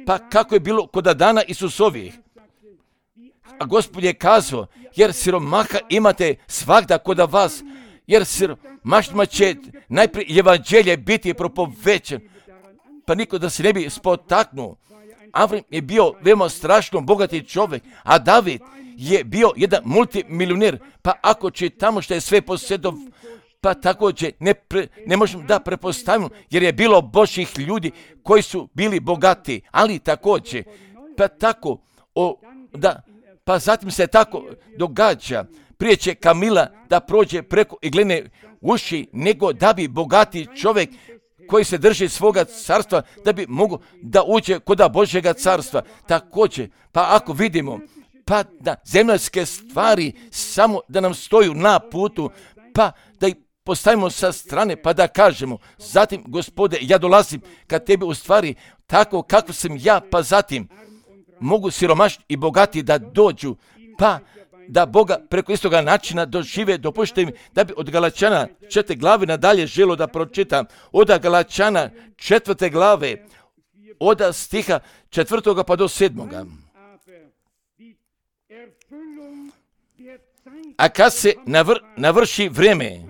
Pa kako je bilo kod dana Isusovih? A Gospod je kazao, jer siromaha imate svagda kod vas, jer siromašnima će najprije evanđelje biti propovećen, pa niko da se ne bi spotaknuo. Avram je bio veoma strašno bogati čovjek, a David je bio jedan multimilioner, pa ako čitamo što je sve posjedov, pa također ne možemo da prepostavimo, jer je bilo Božjih ljudi koji su bili bogati, ali također, pa tako, pa zatim se tako događa, prije će Kamila da prođe preko iglene uši, nego da bi bogati čovjek koji se drži svoga carstva, da bi mogao da uđe kod Božjega carstva. Također, pa ako vidimo, pa da zemaljske stvari samo da nam stoju na putu, pa da ih postavimo sa strane, pa da kažemo, zatim, Gospode, ja dolazim kad tebi u stvari tako kako sam ja, pa zatim mogu siromašni i bogati da dođu, pa da Boga preko istoga načina dožive, dopušte mi da bi od Galačana 4. glave nadalje želo da pročitam, od Galačana 4. glave, od stiha 4. pa do 7. A kad se navrši vreme,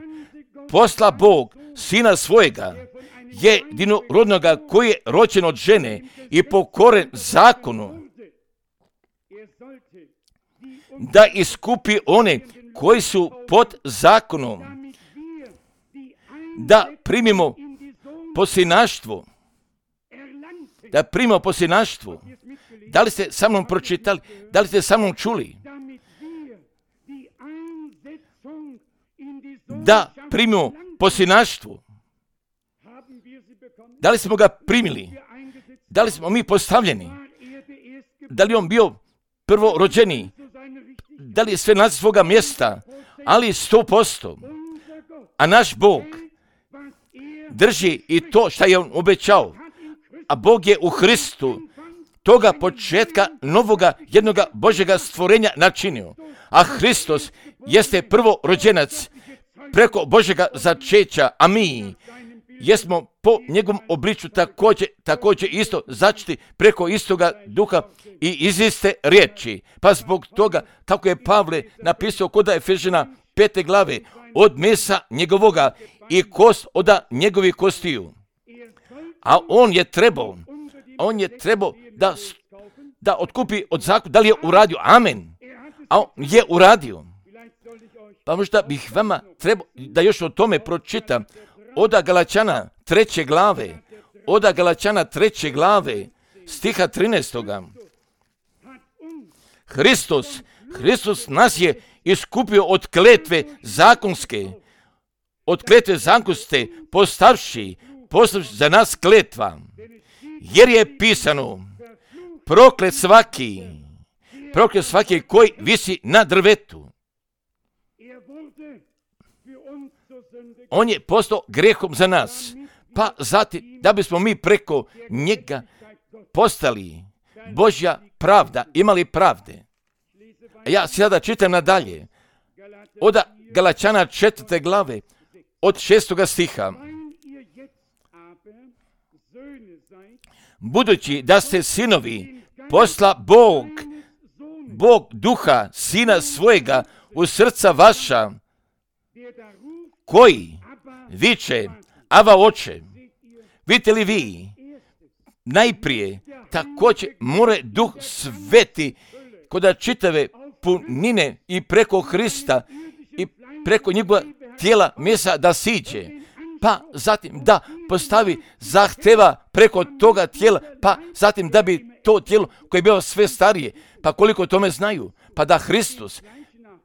posla Bog sina svojega, jedinorodnoga koji je rođen od žene i pokoren zakonu, da iskupi one koji su pod zakonom, da primimo posinaštvo. Da primimo posinaštvo. Da li ste sa mnom pročitali? Da li ste sa mnom čuli? Da primimo posinaštvo. Da li smo ga primili? Da li smo mi postavljeni? Da li on bio prvorođeni? Da li je sve na svoga mjesta? Ali 100%. A naš Bog drži i to što je on obećao. A Bog je u Hristu toga početka novoga jednoga Božjega stvorenja načinio. A Hristos jeste prvorođenac preko Božjega začeća, a mi jesmo po njegovom obličju također isto začeti preko istoga duha i iz iste riječi. Pa zbog toga, kako je Pavle napisao kod Efežana 5. glave, od mesa njegovoga i kost od njegovih kostiju. A on je trebao da otkupi od zakona. Da li je uradio? Amen. A on je uradio. Pa možda bih vama trebao da još o tome pročitam. Od Galačana 3. glave. Od Galačana 3. glave, stiha 13. Hristos nas je iskupio od kletve zakonske. Od kletve zakonske postavši za nas kletva. Jer je pisano, proklet svaki koji visi na drvetu. On je postao grehom za nas. Pa zatim, da bismo mi preko njega postali Božja pravda, imali pravde. A ja sada čitam nadalje. Od Galačana 4. glave, od 6. stiha. Budući da ste sinovi, posla Bog duha sina svojega u srca vaša, koji viče, Ava oče. Vidite li vi, najprije također more Duh Sveti kod čitave punine i preko Hrista i preko njegova tijela mesa da siđe. Pa zatim da postavi zahteva preko toga tijela, pa zatim da bi to tijelo koje je bilo sve starije, pa koliko tome znaju, pa da Hristos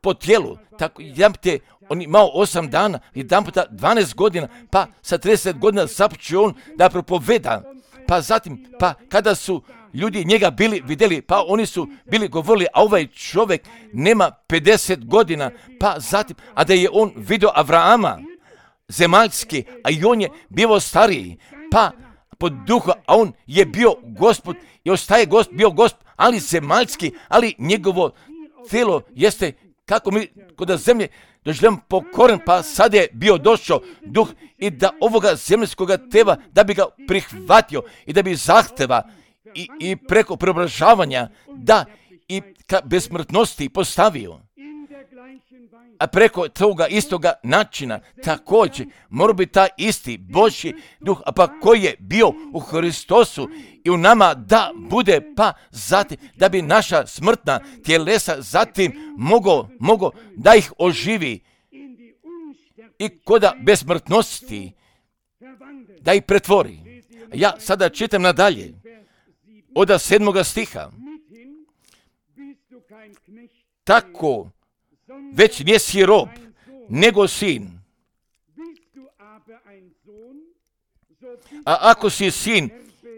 po tijelu, tako jedanput on imao 8 dana, jedanput 12 godina, pa sa 30 godina započeo on da propoveda, pa zatim, pa kada su ljudi njega bili vidjeli, pa oni su bili govorili, a ovaj čovjek nema 50 godina, pa zatim, a da je on vidio Avrahama, zemaljski, a i on je bio stariji, pa pod duha, a on je bio Gospod i ostaje bio Gospod, ali zemaljski, ali njegovo tijelo jeste kako mi kod zemlje doživljamo pokoren, pa sad je bio došao duh i da ovoga zemljskoga tela da bi ga prihvatio i da bi zahteva i preko preobražavanja da i bez smrtnosti postavio. A preko toga istoga načina također mora biti taj isti Božji duh, a pa koji je bio u Hristosu i u nama da bude, pa zatim da bi naša smrtna tjelesa zatim mogo da ih oživi i koda besmrtnosti da ih pretvori. Ja sada čitam nadalje od 7. stiha. Tako već nisi rob, nego sin. A ako si sin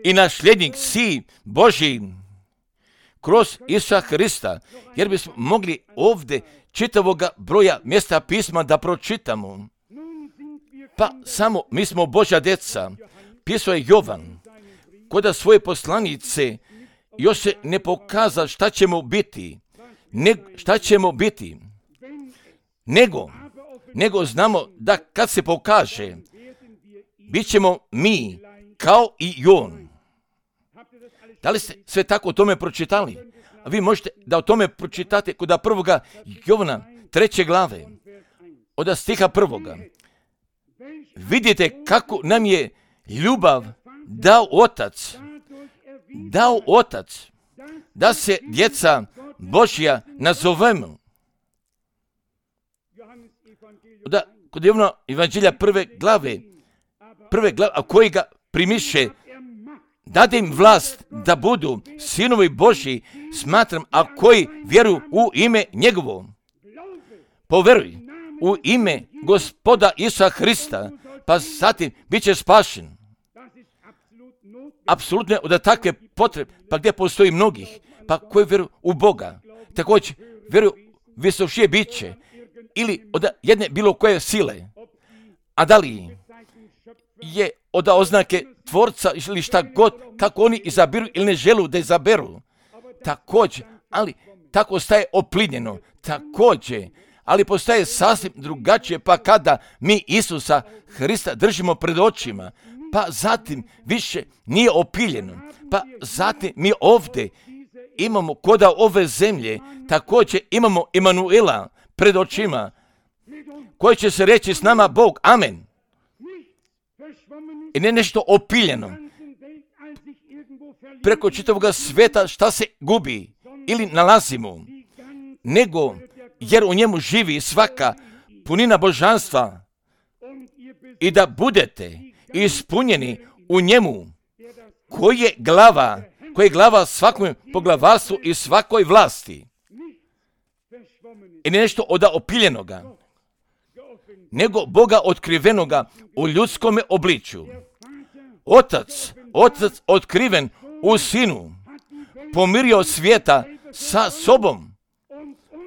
i nasljednik, si Božji kroz Isusa Hrista, jer bismo mogli ovdje čitavoga broja mjesta pisma da pročitamo. Pa samo mi smo Božja djeca. Pisao je Jovan, kod svoje poslanice još se ne pokaza šta ćemo biti. Nego znamo da kad se pokaže, bit ćemo mi kao i on. Da li ste sve tako o tome pročitali? A vi možete da o tome pročitate kod 1. Jovana 3. glave, od stiha 1. Vidite kako nam je ljubav dao otac, da se djeca Božja nazovemo. Da, kod Jovana Evanđelja prve glave, a koji ga primiše, dade im vlast da budu sinovi Božji, smatram, a koji vjeruju u ime njegovo. Poveruj u ime Gospoda Isusa Hrista, pa zatim bit će spašen. Apsolutno je da takve potrebe, pa gdje postoji mnogih, pa koji vjeruju u Boga, također vjeruju visošije biće, ili od jedne bilo koje sile, a da li je od oznake tvorca ili šta god, kako oni izabiru ili ne želu da izaberu, također, ali tako staje oplinjeno, također, ali postaje sasvim drugačije, pa kada mi Isusa Hrista držimo pred očima, pa zatim više nije opiljeno, pa zatim mi ovdje imamo koda ove zemlje, također imamo Emanuela pred očima, koji će se reći s nama Bog, amen. I ne nešto opiljeno, preko čitavog sveta šta se gubi ili nalazimo, nego jer u njemu živi svaka punina božanstva i da budete ispunjeni u njemu, koji je glava svakom poglavarstvu i svakoj vlasti. I ne nešto od opiljenoga, nego Boga otkrivenoga u ljudskome obličju. Otac otkriven u Sinu, pomirio svijeta sa sobom,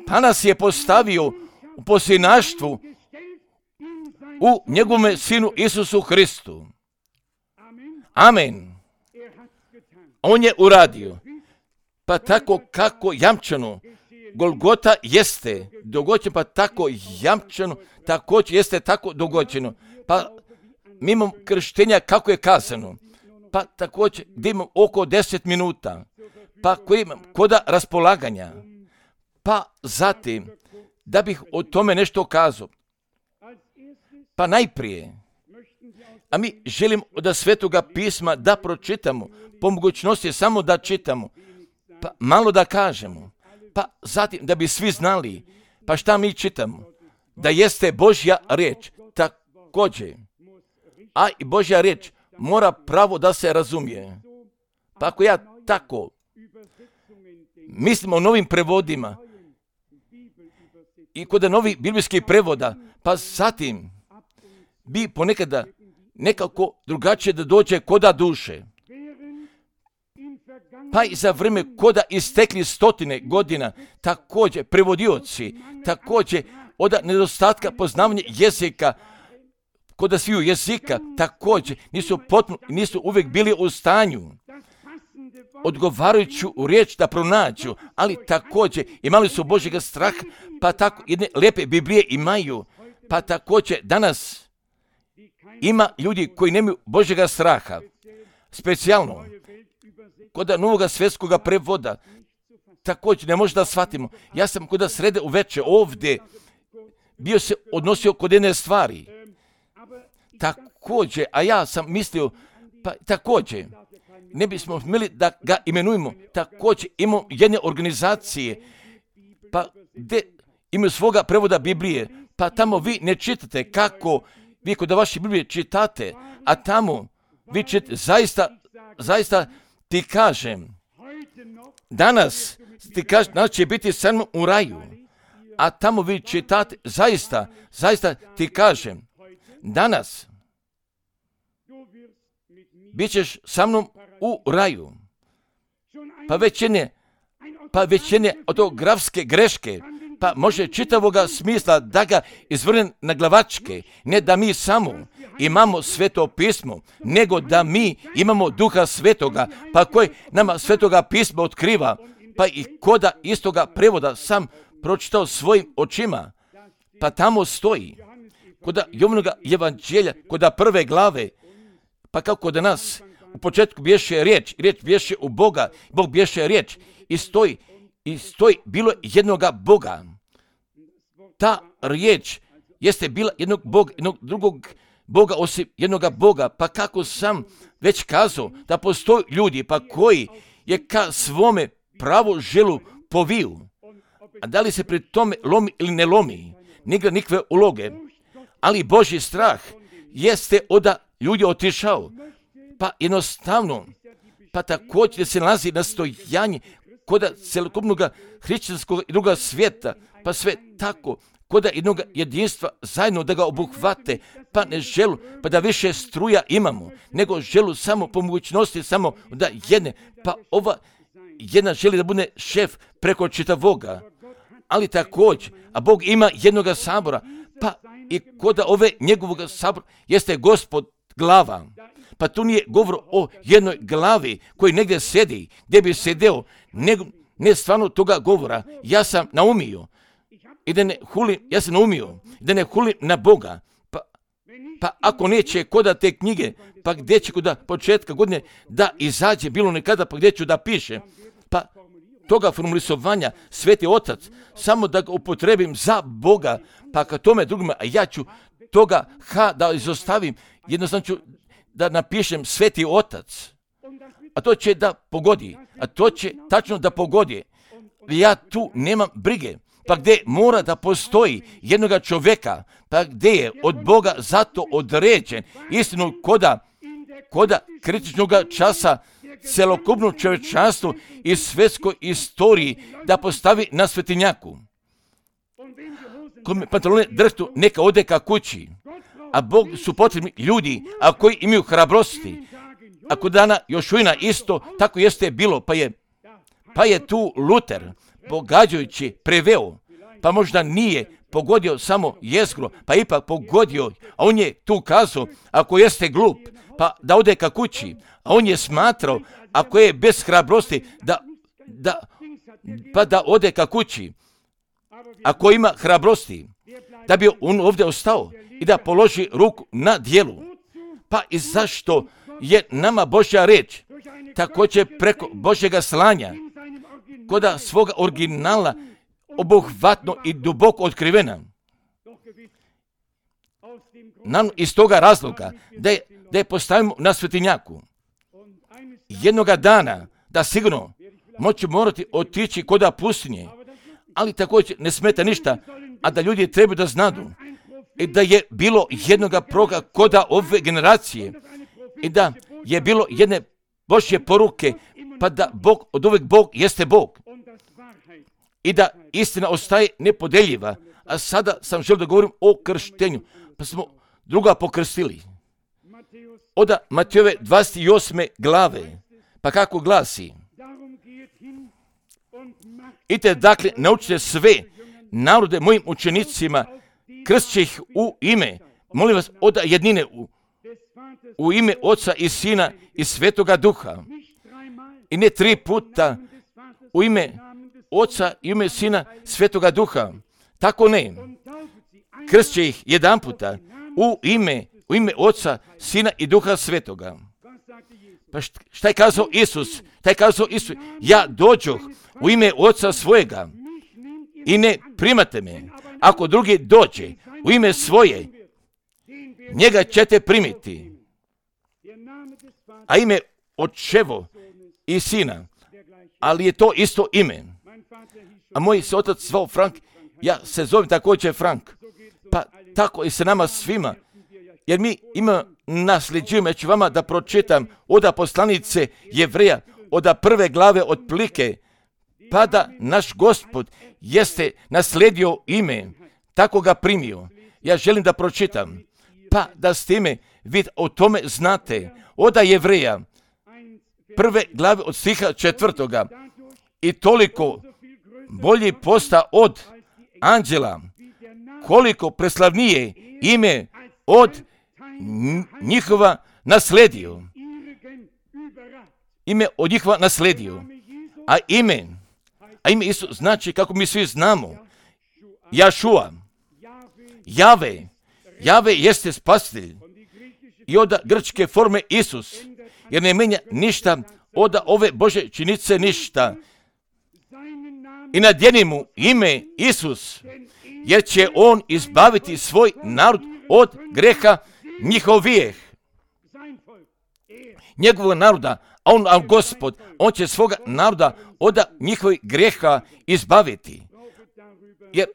pa nas je postavio u posljednaštvu u njegovome Sinu Isusu Hristu. Amen. On je uradio. Pa tako kako jamčano Golgota jeste dogođeno, pa tako jamčano također jeste tako dogođeno. Pa mimo krštenja kako je kazano, pa također gdje imam oko 10 minuta, pa koji imam koda raspolaganja, pa zatim da bih o tome nešto kazao. Pa najprije, a mi želimo od Svetoga pisma da pročitamo, po mogućnosti samo da čitamo, pa malo da kažemo, pa zatim da bi svi znali, pa šta mi čitamo, da jeste Božja riječ također, a i Božja riječ mora pravo da se razumije. Pa ako ja tako mislim o novim prevodima i kod novih biblijskih prevoda, pa zatim bi ponekada nekako drugačije da dođe koda duše. Pa i za vrijeme koda istekli 100 godina, također prevodioci, također od nedostatka poznavanja jezika, koda sviju jezika, također nisu uvijek bili u stanju odgovarajuću riječ da pronađu, ali također imali su Božjega straha, pa tako jedne lijepe Biblije imaju, pa također danas ima ljudi koji nemaju Božjega straha, specijalno kod Novog svjetskog prevoda, također ne može da shvatimo. Ja sam kod srede uveče ovdje bio se odnosio kod jedne stvari, također, a ja sam mislio, pa također, ne bismo smjeli da ga imenujemo, također imamo jedne organizacije, pa gdje imaju svoga prevoda Biblije, pa tamo vi ne čitate kako vi kod vaše Biblije čitate, a tamo vi čitate, zaista ti kažem, danas će biti sa mnom u raju, a tamo vi čitate, zaista ti kažem, danas bit ćeš sa mnom u raju. Pa već jedne od tog grafske greške, pa može čitavoga smisla da ga izvrne na glavačke, ne da mi samo imamo Sveto pismo, nego da mi imamo Duha Svetoga, pa koji nama Svetoga pisma otkriva, pa i koda istoga prevoda sam pročitao svojim očima, pa tamo stoji, koda Jovanova Evanđelja, koda prve glave, pa kako kod nas u početku bješe riječ bješe u Boga, Bog bješe riječ i stoji bilo jednoga Boga. Ta riječ jeste bila jednog Boga, jednog drugog Boga osim jednoga Boga, pa kako sam već kazao da postoji ljudi pa koji je ka svome pravo želu poviju. A da li se pri tome lomi ili ne lomi, nigra nikakve uloge. Ali Božji strah jeste od ljudi otišao. Pa jednostavno, pa također se nalazi nastojanje kod celokupnog hrišćanskog i druga svijeta, pa sve tako, kod jednog jedinstva zajedno da ga obuhvate, pa ne želu, pa da više struja imamo, nego želu samo po mogućnosti, samo da jedne, pa ova jedna želi da bude šef preko čitavoga, ali također, a Bog ima jednoga sabora, pa i kod ove njegovog sabora jeste Gospod glava. Pa tu nije govor o jednoj glavi koji negdje sedi, gdje bi sedeo, nego ne stvarno toga govora. Ja sam naumio i da ne hulim, ja sam naumio da ne hulim na Boga. Pa ako neće koda te knjige, pa gdje će kod početka godine da izađe bilo nekada, pa gdje ću da piše, pa toga formulisovanja Sveti Otac, samo da ga upotrebim za Boga, pa ka tome drugima, a ja ću toga da izostavim, jednostavno ću da napišem Sveti Otac, a to će da pogodi, a to će tačno da pogodi. Ja tu nemam brige, pa gdje mora da postoji jednoga čovjeka, pa gdje je od Boga zato određen istinu koda kritičnog časa celokupno čovječanstvo i svjetskoj istoriji da postavi na svetinjaku. Kome pantalone drhtu, neka ode ka kući. A Bog su potrebni ljudi, a koji imaju hrabrosti. Ako dana Jošujna isto, tako jeste bilo, pa je tu Luter, pogađajući, preveo, pa možda nije pogodio samo jezgro, pa ipak pogodio, a on je tu kazao, ako jeste glup, pa da ode ka kući, a on je smatrao, ako je bez hrabrosti, pa da ode ka kući, ako ima hrabrosti, da bi on ovdje ostao i da položi ruku na dijelu. Pa i zašto je nama Božja reč također preko Božjega slanja koda svoga originala obuhvatno i duboko otkrivena. Nam iz toga razloga da je postavimo na svetinjaku. Jednoga dana da sigurno moću morati otići koda pustinje, ali također ne smeta ništa, a da ljudi trebaju da znadu i da je bilo jednoga proroka koda ove generacije i da je bilo jedne Božje poruke, pa da Bog, od uvijek Bog jeste Bog i da istina ostaje nepodeljiva. A sada sam želio da govorim o krštenju, pa smo druga pokrstili. Od Matejove 28. glave, pa kako glasi: idite dakle, naučite sve narode mojim učenicima, krstiće ih u ime, molim vas, od jednine, u ime Oca i Sina i Svetoga Duha. I ne 3 puta u ime Oca i ime Sina Svetoga Duha. Tako ne. Krstiće ih jedan puta u ime Oca, Sina i Duha Svetoga. Pa šta je kazao Isus? Ja dođoh u ime Oca svojega i ne primate me. Ako drugi dođe u ime svoje, njega ćete primiti. A ime Očevo i Sina, ali je to isto ime. A moj se otac zvao Frank, ja se zovem također Frank. Pa tako i sa nama svima, jer mi nasljeđujemo, ja ću vama da pročitam od poslanice Jevreja, od 1. glave otplike, pa da naš Gospod jeste naslijedio ime, tako ga primio. Ja želim da pročitam, pa da s time vi o tome znate. Od Jevreja, 1. glave od stiha 4. I toliko bolji posta od anđela, koliko preslavnije ime od njihova nasledio. Ime od njihova nasledio. A ime isto znači, kako mi svi znamo, Jašua, Jave jeste spasitelj. I od grčke forme Isus, jer ne menja ništa od ove Bože činice ništa. I nadjeni mu ime Isus, jer će on izbaviti svoj narod od greha njihovih. njegovog naroda, a Gospod, on će svoga naroda od njihovih grijeha izbaviti. Jer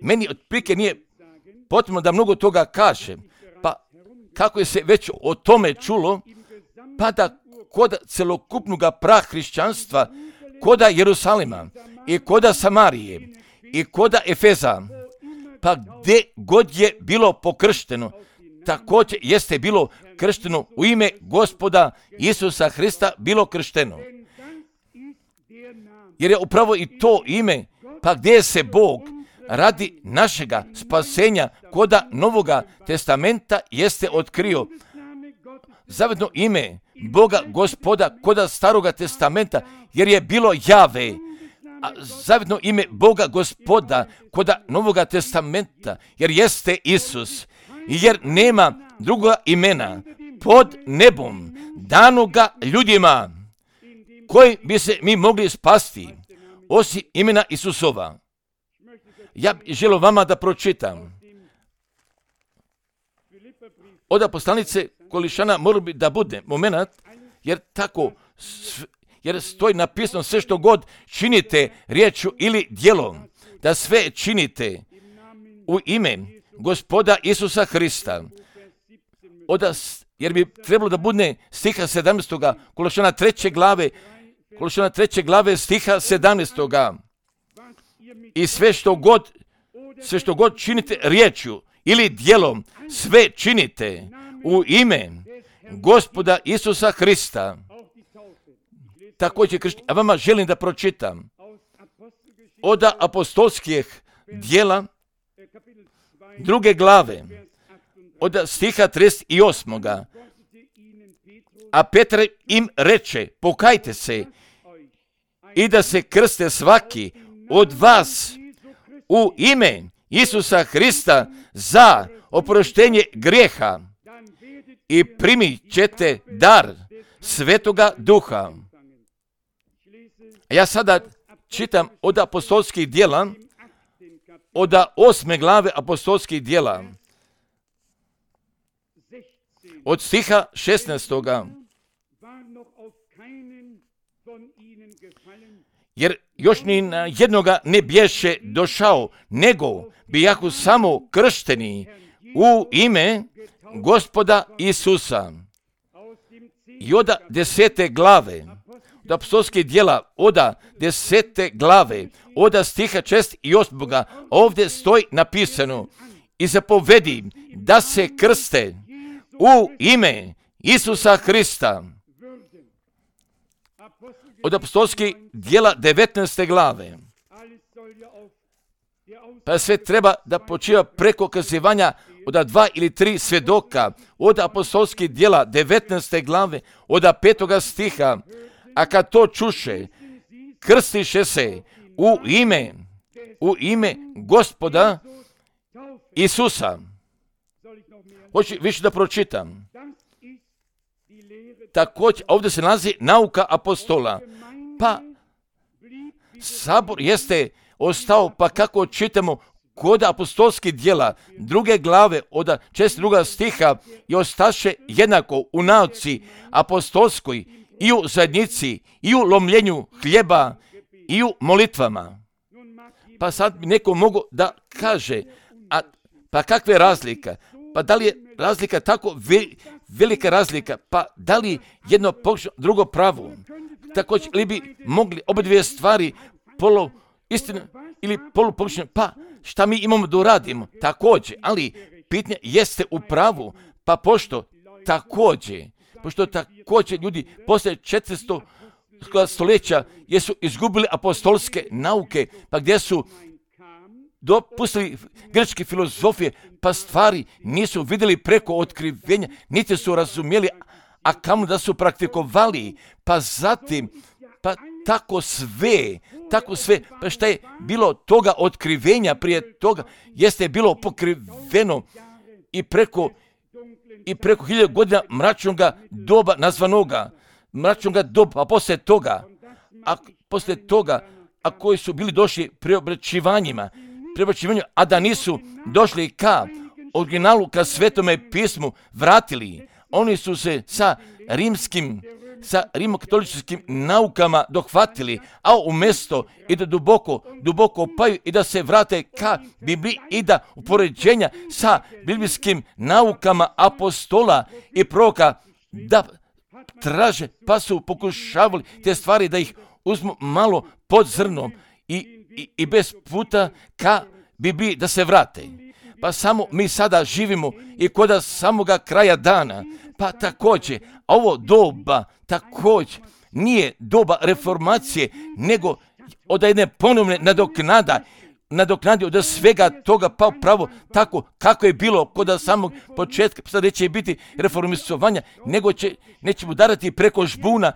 meni otprilike nije potrebno da mnogo toga kažem, pa kako je se već o tome čulo, pa da kod celokupnog prahrišćanstva, koda Jerusalima i koda Samarije i koda Efeza, pa gdje god je bilo pokršteno, također jeste bilo kršteno u ime Gospoda Isusa Hrista bilo kršteno. Jer je upravo i to ime, pa gdje se Bog radi našega spasenja koda Novoga testamenta jeste otkrio. Zavedno ime Boga Gospoda koda Staroga testamenta, jer je bilo Jave, a zavedno ime Boga Gospoda koda Novoga testamenta, jer jeste Isus, jer nema drugoga imena pod nebom danoga ljudima koji bi se mi mogli spasti osim imena Isusova. Ja bih želio vama da pročitam od poslanice Kolišana, mora bi da bude moment, jer tako, jer stoji napisano sve što god činite riječju ili djelom, da sve činite u ime Gospoda Isusa Hrista. Jer bi trebalo da bude stiha 17. Kološana 3. glave stiha 17. I sve što god činite riječju ili djelom, sve činite u ime Gospoda Isusa Hrista. Također a vama želim da pročitam od apostolskih djela 2. glave od stiha 38. A Petar im reče, pokajte se i da se krste svaki od vas u ime Isusa Hrista za oproštenje grijeha i primit ćete dar Svetoga Duha. Ja sada čitam od apostolskih djela, od 8. glave apostolskih djela, od stiha 16. Jer još ni na jednoga ne bješe došao, nego bijahu samo kršteni u ime Gospoda Isusa. I od 10. glave, od apostolskih djela, od 10. glave, od stiha 6 i 8. ovdje stoji napisano i zapovedi da se krste u ime Isusa Hrista. Od apostolskih djela 19. glave. Pa sve treba da počiva preko kazivanja od 2 ili 3 svjedoka. Od apostolskih djela 19. glave, od 5. stiha. A kad to čuše, krstiše se u ime Gospoda Isusa. Hoću više da pročitam. Također, ovdje se nalazi nauka apostola. Pa, sabor jeste ostao, pa kako čitamo kod apostolskih djela 2. glave od 42. stiha i ostaše jednako u nauci apostolskoj i u zajednici i u lomljenju hljeba i u molitvama. Pa sad bi neko mogo da kaže, pa kakva je razlika? Pa da li je razlika tako velika razlika? Pa da li jedno pogrešno, drugo pravo? Također li bi mogli oba dvije stvari istina ili polupogrešno? Pa šta mi imamo da uradimo? Također, ali pitanje jeste u pravu, pa pošto također ljudi poslije 400 stoljeća jesu izgubili apostolske nauke, pa gdje su dopustili grčke filozofije, pa stvari nisu vidjeli preko otkrivenja, niti su razumjeli, a kamo da su praktikovali, pa zatim, pa tako sve, pa šta je bilo toga otkrivenja prije toga, jeste bilo pokriveno i preko 1000 godina mračnoga doba nazvanoga, mračnoga doba, a poslije toga, a koji su bili došli preobraćivanju, a da nisu došli ka originalu, ka Svetome pismu, vratili, oni su se sa rimokatoličkim naukama dohvatili, a umjesto i da duboko paju i da se vrate ka Bibliji i da upoređenja sa biblijskim naukama apostola i proroka da traže, pa su pokušavali te stvari da ih uzmu malo pod zrnom i bez puta ka Bibliji da se vrate. Pa samo mi sada živimo i kod samoga kraja dana. Pa također, ovo doba također nije doba reformacije, nego od jedne ponovne nadoknadi od svega toga, pa upravo tako kako je bilo kod samog početka. Sad neće biti reformistovanja, nego nećemo darati preko žbuna,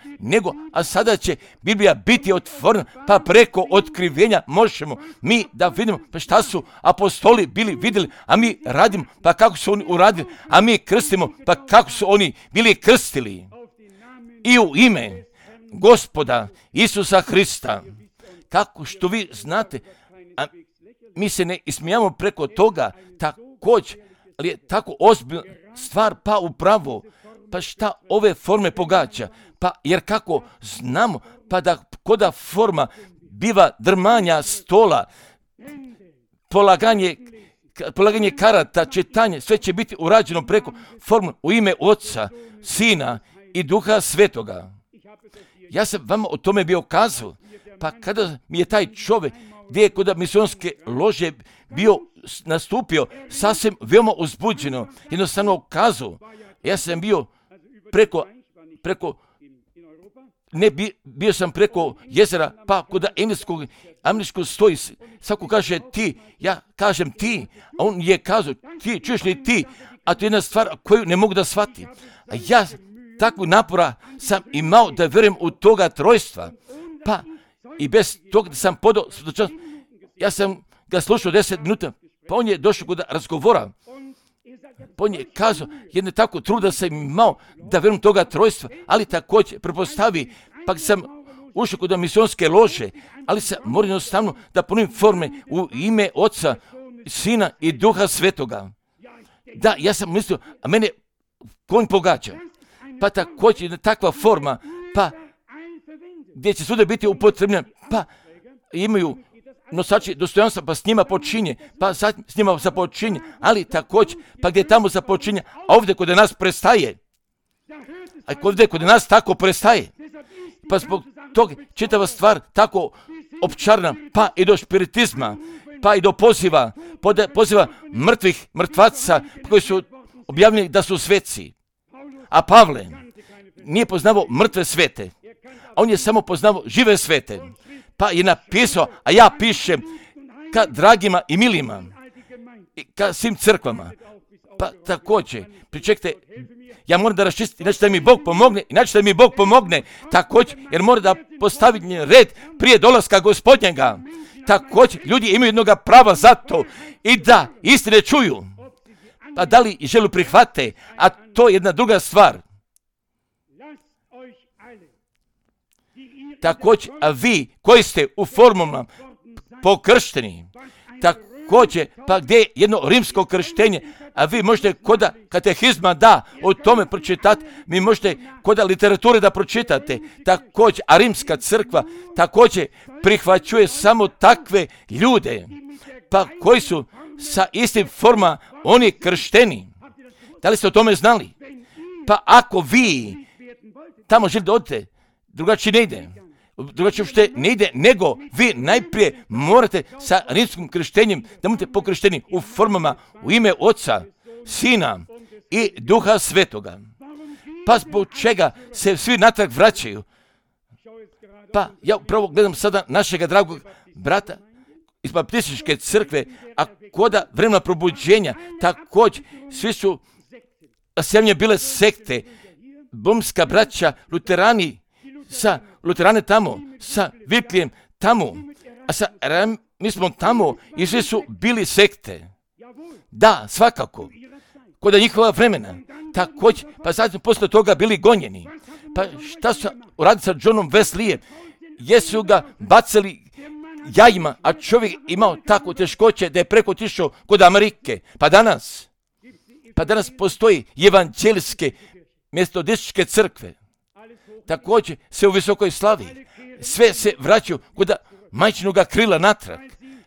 a sada će Biblija biti otvorena, pa preko otkrivenja možemo mi da vidimo pa šta su apostoli bili vidjeli, a mi radimo, pa kako su oni uradili, a mi krstimo, pa kako su oni bili krstili. I u ime Gospoda Isusa Hrista, kako što vi znate, a mi se ne ismijamo preko toga također, ali je tako ozbiljna stvar, pa upravo, pa šta ove forme pogađa, pa jer kako znamo, pa da koda forma biva drmanja stola, polaganje karata, čitanje, sve će biti urađeno preko formu u ime Oca, Sina i Duha Svetoga. Ja sam vama o tome bio kazao, pa kada mi je taj čovjek gdje je kod misionske lože bio nastupio sasvim veoma uzbuđeno, jednostavno kazao, ja sam bio bio sam preko jezera, pa kod američkog stoji, svako kaže ti, ja kažem ti, a on je kazao, ti, čuješ li ti, a to je jedna stvar koju ne mogu da shvatim. A ja takvu napora sam imao da vjerujem u toga trojstva, pa i bez toga da sam podao, ja sam ga slušao 10 minuta, pa on je došao kod razgovora, pa on je kazao, jedne tako truda sam imao da vjerujem toga trojstva, ali također prepostavi, pa sam ušao kod misionske lože, ali sam moram jednostavno da ponovim forme u ime Oca, Sina i Duha Svetoga. Da, ja sam mislio, a mene konj pogađa, pa također takva forma, pa gdje će svuda biti upotrebljena, pa imaju nosači dostojanstva, pa s njima počinje, pa sad s njima započinje, ali također, pa gdje tamo započinje, a ovdje kod nas prestaje. A ovdje kod nas tako prestaje. Pa zbog toga čitava stvar tako opčarna, pa i do spiritizma, pa i do poziva mrtvaca koji su objavljeni da su sveci. A Pavle nije poznavao mrtve svete, a on je samo poznavao žive svete. Pa je napisao, a ja pišem ka dragima i milima, i ka svim crkvama. Pa također, pričekajte, ja moram da raščistim, inače da mi Bog pomogne, također, jer mora da postavi red prije dolaska Gospodnjega. Također, ljudi imaju jednoga prava za to i da istine čuju. Pa da li želu prihvate, a to je jedna druga stvar. Također, a vi koji ste u formama pokršteni, također, pa gdje je jedno rimsko krštenje, a vi možete koda katehizma da o tome pročitati, vi možete koda literature da pročitate, također, a rimska crkva također prihvaćuje samo takve ljude, pa koji su sa istim forma oni kršteni. Da li ste o tome znali? Pa ako vi tamo želite da odete, drugačije ne ide. Drugačije uopšte ne ide, nego vi najprije morate sa rimskim krštenjem da budete pokršteni u formama u ime Oca, Sina i Duha Svetoga. Pa zbog čega se svi natrag vraćaju? Pa ja upravo gledam sada našega dragog brata iz baptističke crkve, a koda vremena probuđenja, također svi su sjemlje bile sekte, bomska braća, luterane tamo, sa Viklijem tamo, a sa mi tamo i svi su bili sekte. Da, svakako, kod njihova vremena, također, pa sad su posle toga bili gonjeni. Pa šta su uradili sa Johnom Wesleyem? Jesu ga bacali jajima, a čovjek imao tako teškoće da je preko otišao kod Amerike. Pa danas postoji evanđelske metodističke crkve također se u visokoj slavi. Sve se vraćaju kod majčinoga krila natrag.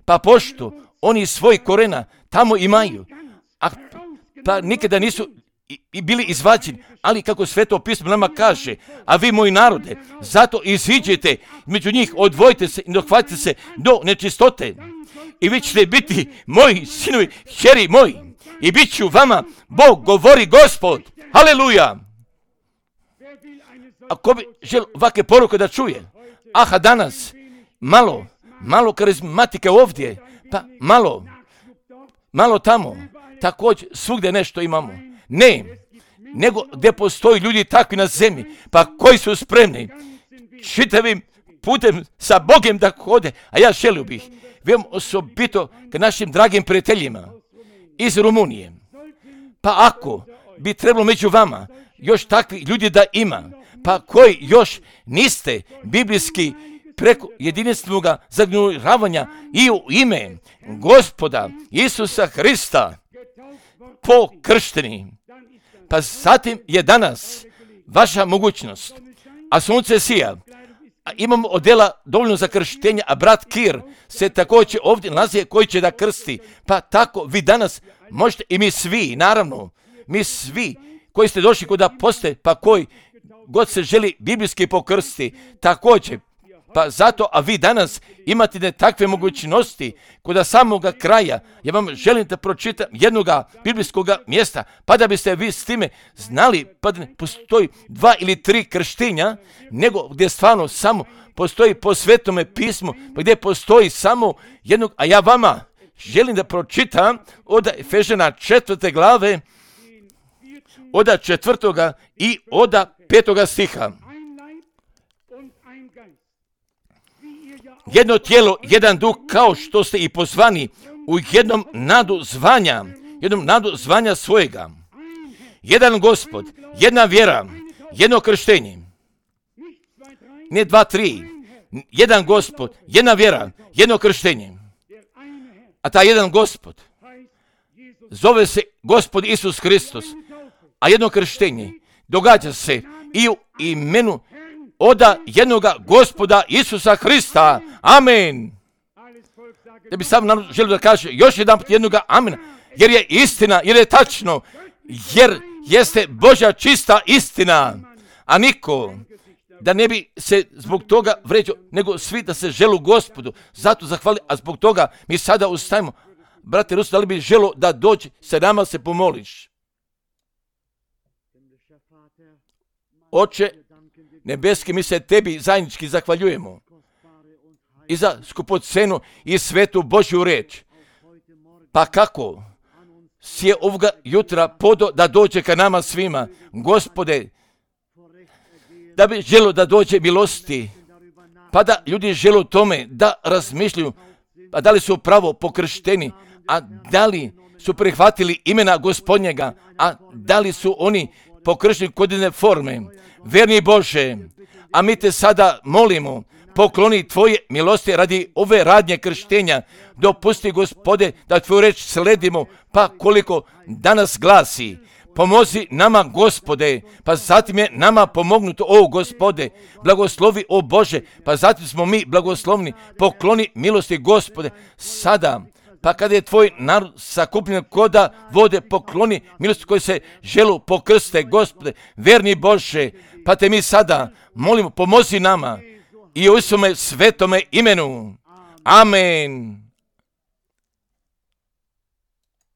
Pa pošto oni svoj korena tamo imaju, pa nikada nisu i bili izvađeni, ali kako Sveto pismo nama kaže, a vi moji narode, zato iziđete među njih, odvojite se i dohvatite se do nečistote. I vi ćete biti moji sinovi, kćeri moji, i bit ću vama, Bog govori Gospod. Haleluja! Ako bi želio ovakve poruke da čuje, aha danas, malo karizmatike ovdje, pa malo tamo, također svugdje nešto imamo. Ne, nego gdje postoji ljudi takvi na zemlji, pa koji su spremni čitavim putem sa Bogom da hode, a ja želio bih, veoma osobito k našim dragim prijateljima iz Rumunije. Pa ako bi trebalo među vama još takvi ljudi da ima, pa koji još niste biblijski preko jedinstvenog zagnjuravanja i u ime Gospoda Isusa Hrista pokršteni, pa zatim je danas vaša mogućnost, a sunce sija, a imamo odjela dovoljno za krštenje, a brat Kir se također ovdje nalazi koji će da krsti, pa tako vi danas možete i mi svi, naravno, mi svi koji ste došli kod aposte, pa koji god se želi biblijski pokrsti, također, pa zato, a vi danas imate takve mogućnosti kod samoga kraja. Ja vam želim da pročitam jednog biblijskog mjesta, pa da biste vi s time znali, pa da ne postoji 2 ili 3 krštenja, nego gdje stvarno samo postoji po Svetome pismu, pa gdje postoji samo jednog, a ja vama želim da pročitam od Efežana 4. glave, od 4. i od 5. stiha. Jedno tijelo, jedan duh, kao što ste i pozvani u jednom nadu zvanja svojega. Jedan Gospod, jedna vjera, jedno krštenje. Ne 2, 3. Jedan Gospod, jedna vjera, jedno krštenje. A taj jedan Gospod zove se Gospod Isus Hristos, a jedno krštenje događa se i u imenu od jednoga Gospoda Isusa Hrista. Amen. Da bi sam želio da kaže još jedan put jednoga amen, jer je istina, jer je tačno, jer jeste Božja čista istina, a niko da ne bi se zbog toga vređao, nego svi da se želu Gospodu. Zato zahvali, a zbog toga mi sada ustajemo. Brate Rusu, da li bi želo da dođe sa nama se pomoliš? Oče nebeski, mi se tebi zajednički zahvaljujemo i za skupocenu i svetu Božju reč. Pa kako si je ovoga jutra podo da dođe ka nama svima, Gospode, da bi želo da dođe milosti, pa da ljudi žele tome da razmišljaju, a da li su pravo pokršteni, a da li su prihvatili imena Gospodnjega, a da li su oni pokršteni kod jedne forme. Verni Bože, a mi te sada molimo, pokloni tvoje milosti radi ove radnje krštenja. Dopusti, Gospode, da tvoju reč sledimo, pa koliko danas glasi. Pomozi nama, Gospode, pa zatim je nama pomognuto, o Gospode. Blagoslovi, o Bože, pa zatim smo mi blagoslovni. Pokloni milosti, Gospode, sada. Pa kada je tvoj narod sakupljen koda vode, pokloni milosti koji se želu pokrste, Gospode, verni Bože, pa te mi sada molimo, pomozi nama i u svome svetome imenu. Amen.